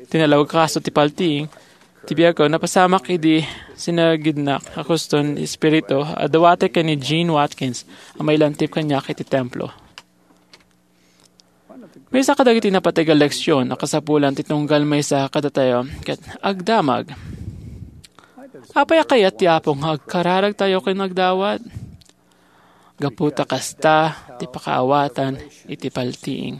Ti nalawag kaso ti paltiing ti biagko, napasamak idi sinagidnak a kuston ti Espiritu a dawatek ken ni Gene Watkins a mailantip kaniak iti templo. Maysa kadagiti napateg a leksion a kasapulan ti tunggal maysa kadatayo ket agdamag. Apay a kayat ti Apo nga agkararagtayo ken agdawat? Gapu ta kasta ti pakaawatan iti paltiing.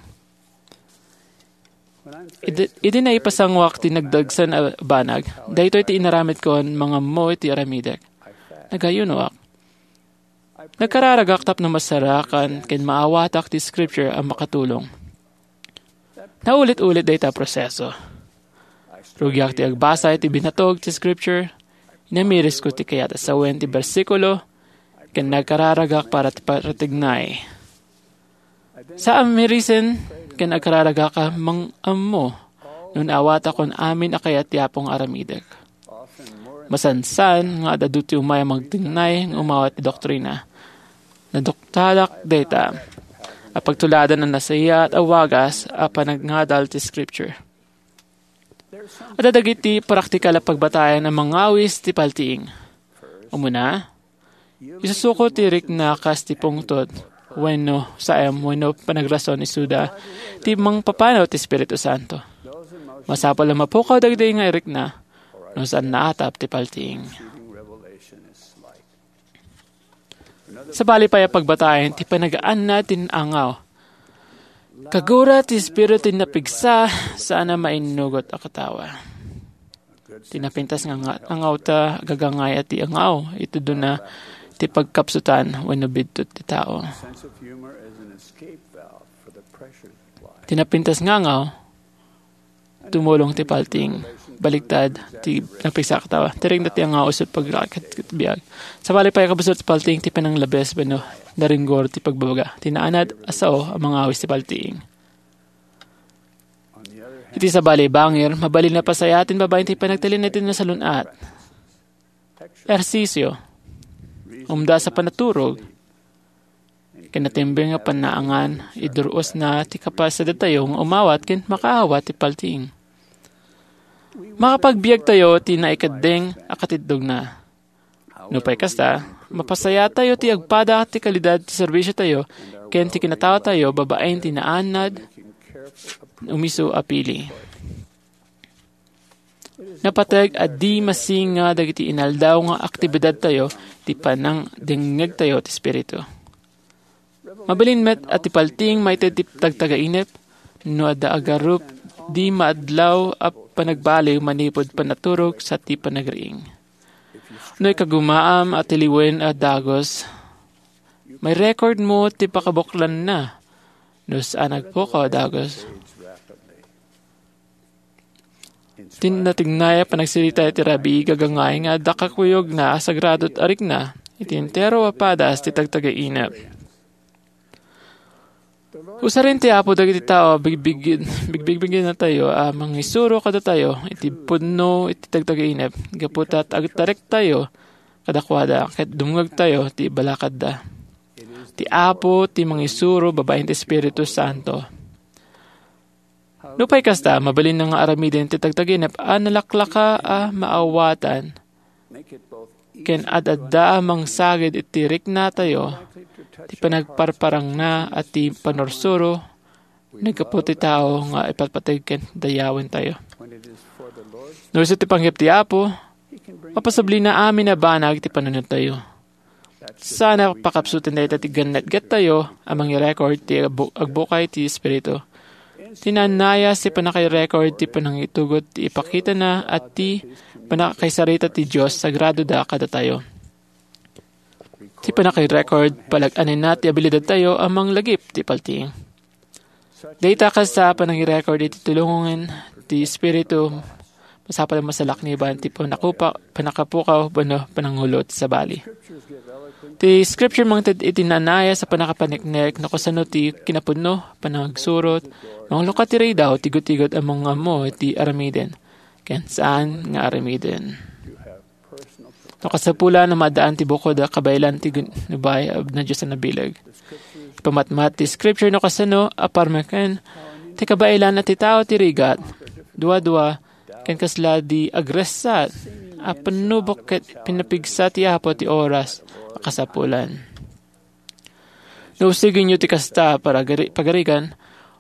Idi, idi naipasanguak ti nagdagsen a banag, daytoy ti inaramidkon mangammo iti aramidek. Nagayunoak. Nagkararagak tapno masarakan ken maawatak ti scripture a makatulong. Naulit-ulit dayta a proseso. Rugiak ti agbasa iti binatog ti scripture. Inamirisko ti kayat a sawen ti bersikulo ken nagkararagak para ti paratignay. Sa amirisen ken agkararagak a mang-ammo no naawatakon amin a kayat ti Apo nga aramidek. Masansan nga ad-adu ti umay a magtignay nga umawat ti doktrina. Naduktalak dayta a pagtuladan a nasayaat a wagas a panagngadal ti scripture. Adda dagiti praktikal a pagbatayan a mangawis ti paltiing. Umuna, isusuko ti rikna kas ti pungtot wenno saem wenno panagrason isuda ti mangpapanaw ti Espiritu Santo. Masapul a mapukaw dagiti nga irikna no saan naatap ti paltiing. Sabali pay a pagbatayen ti panagaanna ti angaw. Kagura ti Espiritu ti napigsa, saan a mainnugot a katawa. Ti napintas nga nga-, angawta, agagangay a ti angaw, itudona ti pagkapsutan wenno bidtot ti tao. Ti napintas nga angaw, tumulong ti paltiing. Baligtad ti napigsa a katawa. Ti rikna ti angaw isu ti pagraket ket biag. Sabali pay a kabusor ti paltiing ti pananglabes wenno naringgor ti pagbabaga. Ti naanad a sao a mangawis ti paltiing. Iti sabali bangir, mabalin a pasayaten babaen ti panagtalinaed ti nasalun-at. Ehersisio. umdas a panaturog. Ken natimbeng nga panaangan, idur-osna ti kapasidadtayo nga umawat ken makaawat ti paltiing. Makapagbiagtayo ti naikeddeng a katitdogna. Nupay kasta, mapasayatayo ti agpada ti kalidad ti serbisiotayo ken ti kinataotayo babaen ti naanad umiso a pili. Napateg a di masinga dagiti inaldaw nga aktibidadtayo ti panangdengngegtayo ti Espiritu. Mabalin met a ti paltiing maited ti tagtagainep no adda agarup di maadlaw a panagbaliw manipud panaturog sa ti panagriing. No ikagumaam a tiliwen a dagus, may record mo ti pakabuklanna no saan agpukaw a dagus. Ti natignay a panagsirita iti rabii gagangay nga adda kakuyogna a sagrado ti arikna iti entero a padas ti tagtagainep. Usaren ti Apo dagiti tao a bigbigid-, bigbigbigidnatayo a mangisuro kadatayo iti pudno iti tagtagainep gapu ta agtarektayo kadakuada ket dumngegtayo ti balakadda. Ti Apo ti mangisuro babaen ti Espiritu Santo. Nupay kasta, mabalinna nga aramiden ti tagtagainep a nalaklaka a maawatan ken ad-adda a mangsagid iti riknatayo ti panagparparangna a ti pannursuro naggapu ti tao nga ipatpateg ken dayawentayo. No isu ti panggep ti Apo, mapasablina amin a banag ti panunottayo. Saan a pakapsuten dayta ti gannetgettayo a mangirecord ti agbu-, agbukay ti Espiritu. Ti naannayas ti pannakairecord ti panangitugot ti ipakitana a ti pannakaisarita ti Dios sagradoda kadatayo. Ti pannakairecord, palag-anenna ti abilidadtayo a manglagip ti paltiing. Dayta kasta a panangirecord iti tulongen ti Espiritu, masapul a masalakniban ti panakupa-, panakapukaw wenno panangulo ti sabali. Ti Scripture mangted iti naannayas a pannakapaneknek no kasano ti kinapudno, panagsurot, manglukat ti ridaw, ti gutigot a mangammo iti aramiden, ken saan nga aramiden. No kasapulan a maadaan ti bukod a kabaelan ti ginubay a nadiosan a bileg. Ipamatmat ti Scripture no kasano a parmeken ti kabaelan a ti tao ti rigat, dua-dua, ken kasla di agressat a pannubok ket pinapigsa ti Apo ti oras a kasapulan. No usigenyo ti kasta a paragari-, pagarigan,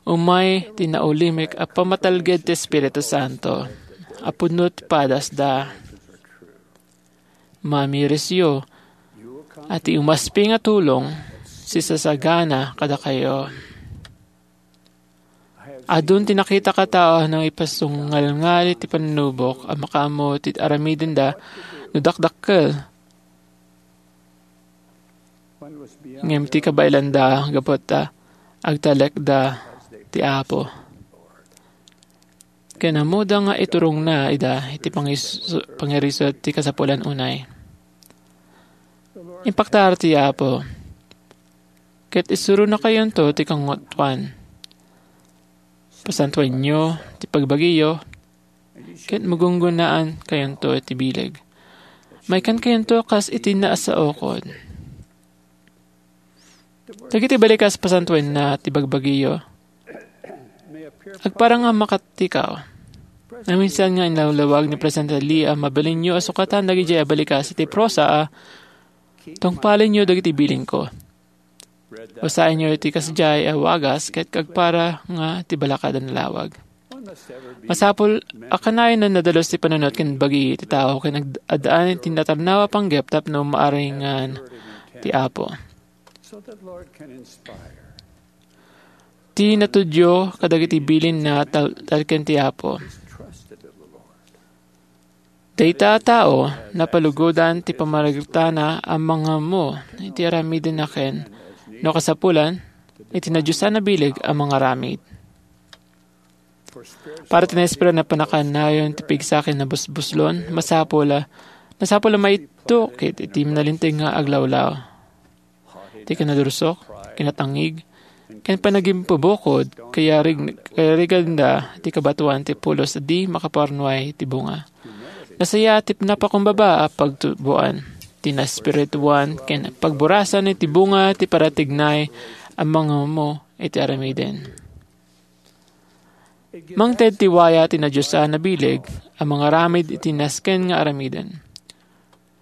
umay ti naulimek a pamatalged ti Espiritu Santo a pudno ti padasda. Mamirisyo a ti umaspi nga tulong sisasagana kadakayo. Adun ti nakitak a tao a nangipasungalngali ti pannubok a makaammo ti aramidenda no dakdakkel. Ngem ti kabaelanda gapu ta agtalekda ti Apo. Ken ammoda nga iturongna ida iti pangis-, pangirisut ti kasapulan unay. Impaktaar ti Apo, ket isuronakayonto ti kangotuan. Pasantuenyo ti pagbagiyo, ket magunggonnaan kayonto iti bileg. Maikkan kayonto kas iti naasaokon. Dagiti balikas pasantuenna ti bagbagiyo. Agparang a makatikaw. Naminsan nga inlawlawag ni Presidente Lee a mabalinyo a sukatan dagidiay a balikas iti prosa a tungpalenyo dagiti bilinko. Basaenyo iti kasdiay a wagas ket agpara nga ti balakad a nalawag. Masapul a kanayon a nadalus ti panunot ken bagi ti tao ken ag-, addaan ti natarnaw a panggep tapno maaringan ti Apo. Ti natudyo kadagiti bilinna tal-, talken ti Apo. Dayta a tao, napalugodan ti pammaragtana a mangammo iti aramidenna ken, no kasapulan, iti nadiosan a bileg a mangaramid. Para ti naespirituan a pannakanayon ti pigsa ken nabusbuslon, masapul a, masapul a maitukit iti nalinteg nga aglawlaw. Ti kinadursok, kinatangig, ken panagimpubukod, kayarig-, kayariganda ti kabatoan ti pulos a di makaparnuay ti bunga. Nasayaat ti napakumbaba a pagtuboan. ti naespirituan ken pagburuasan iti bunga ti paratignay a mangammo iti aramiden. Mangted ti waya ti nadiosan a bileg a mangaramid iti nasken nga aramiden.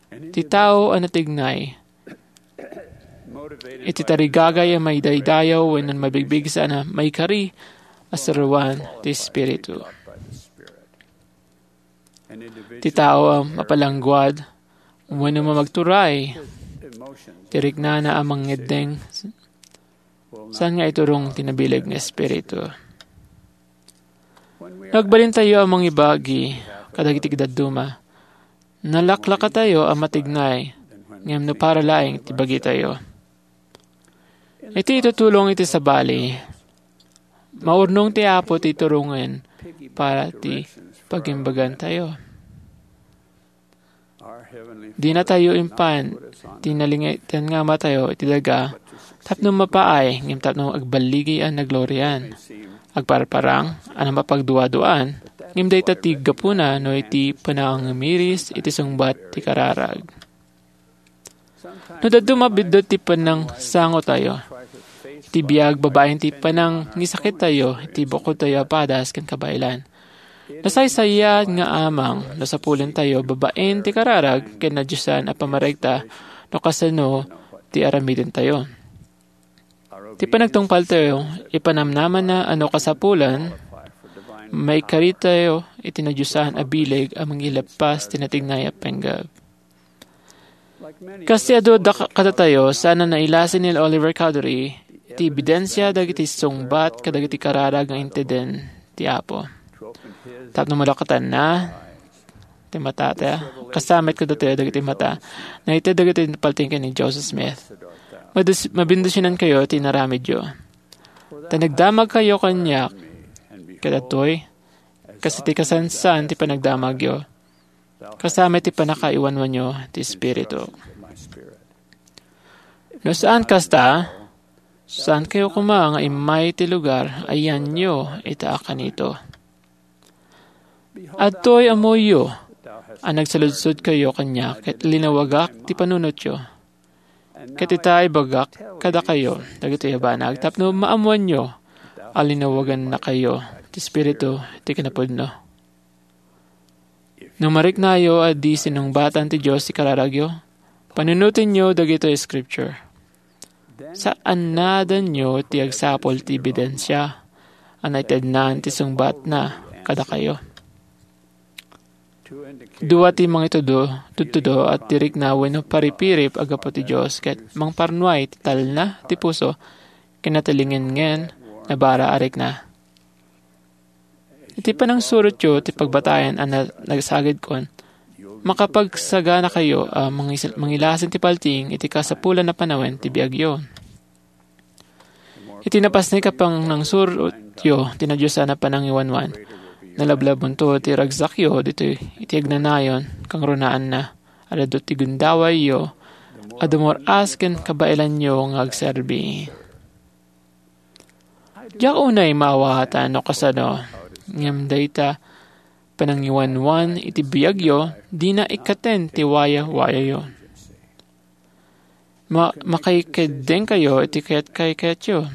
Ti tao a natignay iti tarigagay a maidaydayaw wenno mabigbig saan a maikari a saruan ti Espiritu. Ti tao a mapalangguad wenno mamagturay ti riknana a mangngeddeng saan nga iturong ti nabileg nga espiritu. Nagbalintayo a mangibagi kadagiti dadduma. Nalaklakatayo a matignay, ngem no para laeng ti bagitayo. Iti itutulong iti sabali, maurnong ti Apo ti turongen para ti pagimbagantayo. Dinatayo impan ti nalingeten nga amatayo iti daga tapno mapaay ngem tapno agballigi a naglorian. Agparparang a napagduaduaan, ngem dayta ti gapuna no iti panangamiris iti sungbat ti kararag. No dadduma biddut ti panangsangotayo, iti biag babaen ti panangisakittayo, iti bukodtayo a padas ken kabaelan. Nasaysayaat nga amang no sapulentayo babaen ti kararag ken nadiosan a pammaregta no kasano ti aramidentayo. Ti panagtungpaltayo, ipanamnamanna a no kasapulan, maikaritayo iti nadiosan a bileg a mangileppas ti natignay a panggep. Kas ti adu da-, kadatayo, saan a nailasin ni Oliver Cowdery, ti ebidensia dagiti sungbat kadagiti kararag nga inteden ti Apo. Tapno malakatanna ti matata, kasamit kadatayo dagiti mata, naited dagiti paltiing ken ni Joseph Smith. Madus-, mabendisionankayo ti inaramidyo. Ta nagdamagkayo kaniak, kadatoy, kas iti kasansan ti panagdamagyo. Kasama iti pannakaiwanwanyo ti Espiritu. No saan kasta, saankayo koma nga immay ti lugar a yanyo ita a kanito. Adtoy ammoyo a nagsaludsodkayo kaniak ket linawagak ti panunotyo. Ket ita, ibagak kadakayo dagitoy a banag tapno maammoanyo a linawagannakayo ti Espiritu ti kinapudno. No mariknayo a di sinungbatan ti Dios ti kararagyo, panunotenyo dagitoy a Scripture. Saannadanyo ti agsapul ti ebidensia a naitednan ti sungbatna kadakayo. Dua ti mangitudo, tudtudo a ti rikna wenno paripirip a gapu ti Dios ket mangparnuay ti talna ti puso ken natilingngen nga bara a rikna. Iti panangsurotyo ti pagbatayan a na-, nagsagidkon, makapagsaganakayo a mangis-, mangilasin ti paltiing iti kasapulan a panawen ti biagyo. Iti napasnek a panangsurotyo ti nadiosan a panangiwanwan, nalablabonto ti ragsakyo ditoy iti agnanayon kangrunaanna. Adda ti gundawayyo a dumur-as ken kabaelanyo nga agserbi. Diak unay maawaatan no kasano, ngem dayta panangiwanwan iti biagyo, dina ikkaten ti waya-wayayo. Ma-, makaikeddengkayo iti kayat-kayatyo.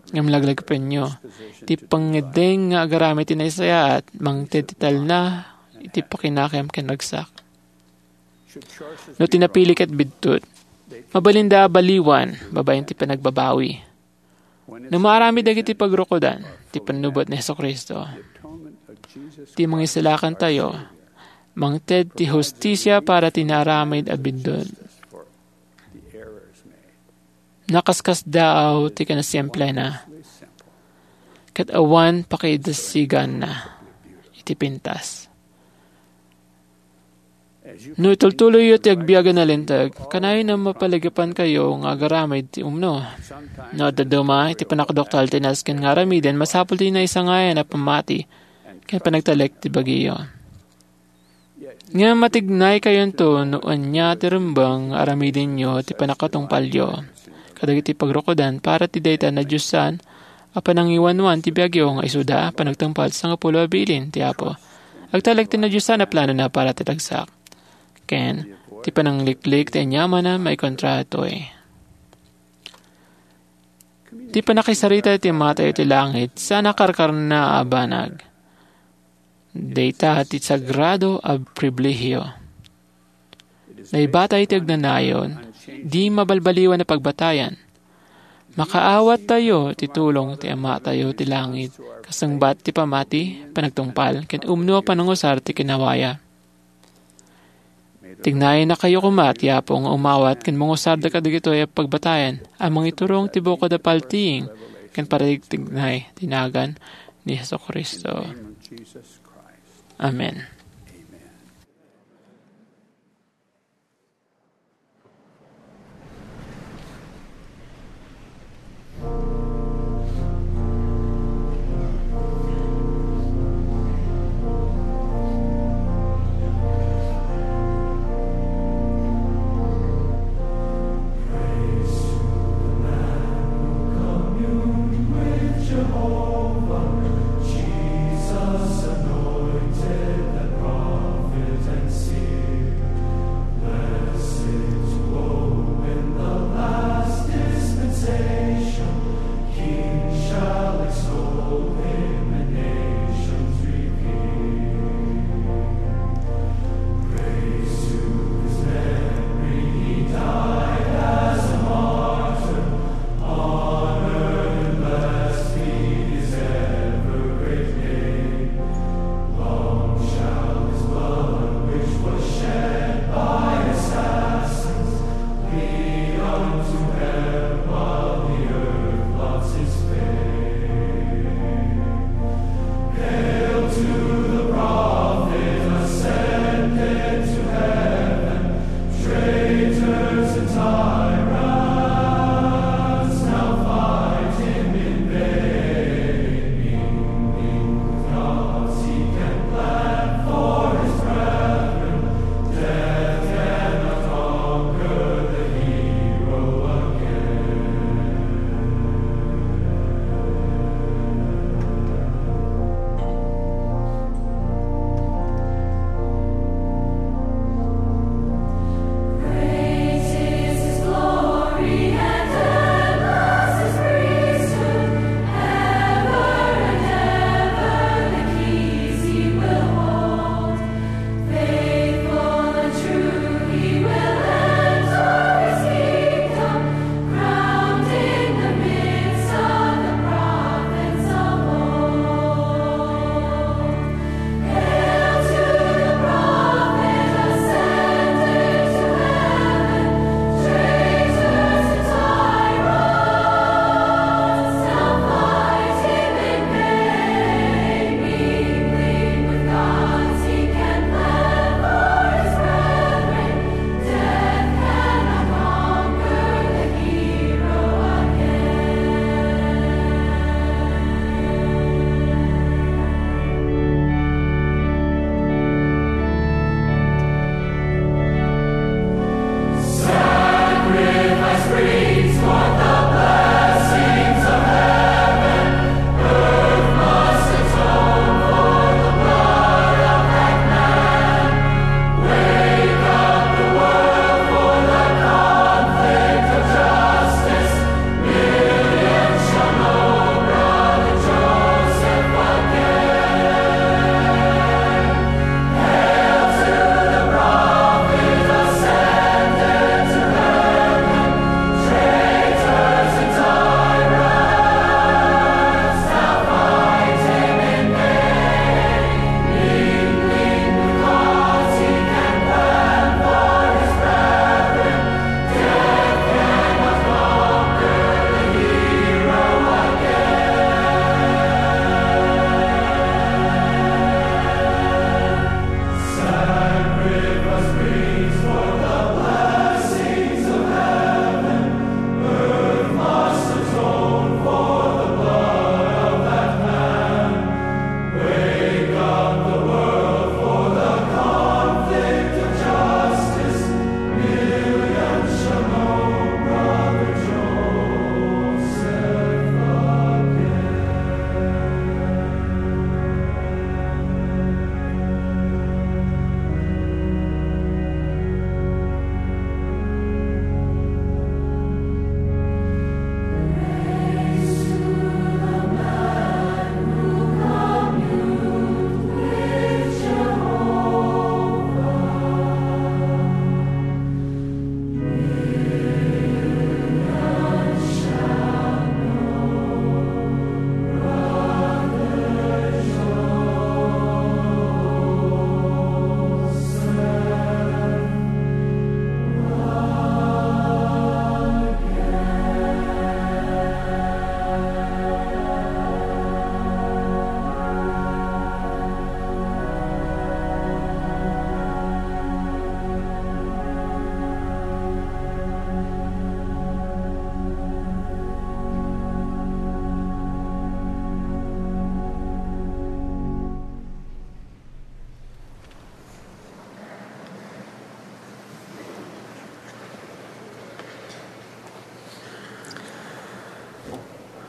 Ngem laglagipenyo, ti pangngeddeng nga agaramid ti nasayaat, mangted ti talna iti pakinakem ken ragsak. No ti napili ket biddut, mabalinda a baliwan babaen ti panagbabawi. No maaramid dagiti pagrukodan ti pannubbot ni Jesu-Cristo, ti mangisalakantayo, mangted ti hustisia para ti naaramid a biddut. Nakaskasdaaw ti kinasimplena, ket awan pakidasiganna iti pintas. No itultuloyyo ti agbiag a nalinteg, kanayon a mapalagapankayo nga agaramid ti umno. No adda duma iti panakduktal ti nasken nga aramiden, masapul ti naisangayan a pammati ken panagtalek ti bagiyo. Ngem matignay kayonto no ania ti rumbeng nga aramidenyo ti pannakatungpalyo kadagiti pagrukodan para ti dayta nadiosan a panangiwanwan ti biagyo nga isuda panagtungpal ti sangapulo a bilin ti Apo. Agtalek ti nadiosan a planona para ti ragsak. Ken Ti panangliklik ti aniamanna maikontra ditoy. Ti pannakisarita ti Amatayo ti langit, saan a karkarna a banag. Dayta ti sagrado a pribilehio. Naibatay ti agnanayon, di mabalbaliwan a pagbatayan. Makaawattayo ti tulong ti Amatayo ti langit, kasungbat ti pamati, panagtungpal, ken umno a panangusar ti kinawaya. Tignayennakayo koma ti Apo nga umawat ken mangusarda kadagitoy a pagbatayan a mangiturong ti bukod a paltiing ken parigtignay ti nagan ni Jesu-Cristo. Amen.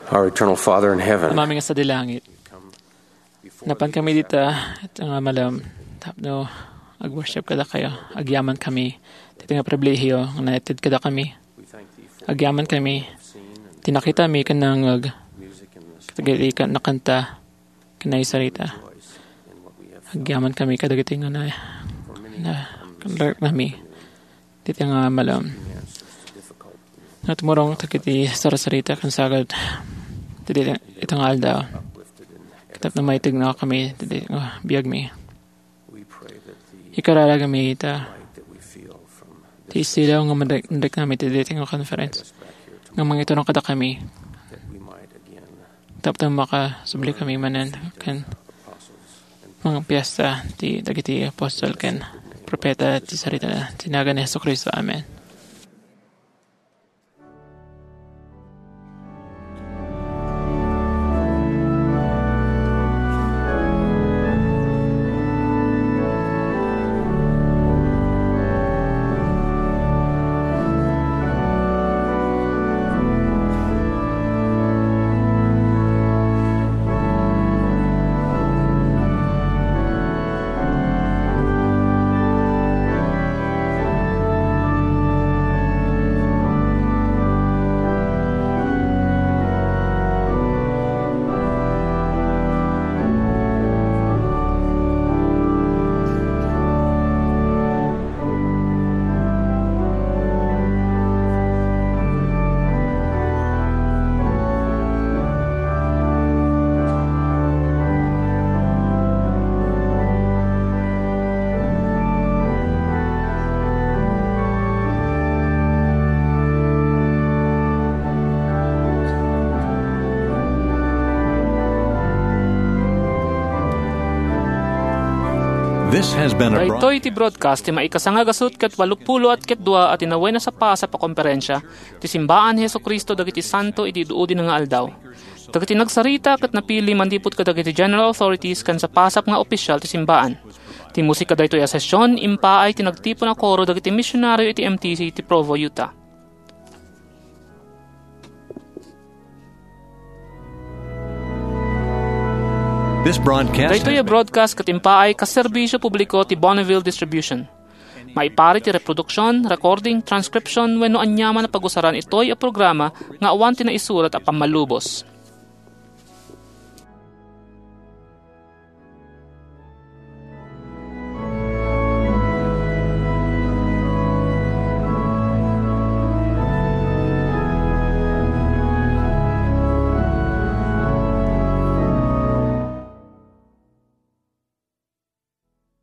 Our eternal Father in heaven, Amami nga sadi langit, napan kami dita, ita nga malem, tapno ag-worship kadakayo. Agyaman kami, dita nga pribilehiyo nga naited kadakami. Agyaman kami, ti nakitami ken nangngeg, kadagiti kan-, nakanta, ken naisarita. Agyaman kami kadagiti nga na, na, nami. Dita nga malem. Natmurong dagiti sarsarita ken sagad ti dita, ita nga aldaw. Ket napno maitegna kami ti dita nga biagmi. Ikararagami ita ti isilaw nga madek-, madeknami ti dita nga conference. Nga mangiturong kadakami. Tapno makasubli kami manen ken mangpiesta ti dagiti apostol ken profeta ti sarita ti nagan ni Jesu-Cristo. Amen. This has been a broad- Daytoy ti broadcast ti maikasanga gasut ket walupulo at ket dua a tinawen a sapasap a komperensia ti simbaan ni Jesu-Cristo dagiti santo idi id-udi nga aldaw. Dagiti nagsarita ket napili manipud kadagiti general authorities ken sapasap nga opisyal ti simbaan. Ti musika daytoy a session, impaay ti nagtipon a koro dagiti misionario iti M T C ti Provo, Utah. This broadcast Daytoy a broadcast ket impaay kas serbisyo publiko ti Bonneville Distribution. Maipari ti reproduksion, recording, transcription, wenno aniaman a pagusaran itoy a programa nga awan ti naisurat a pammalubos.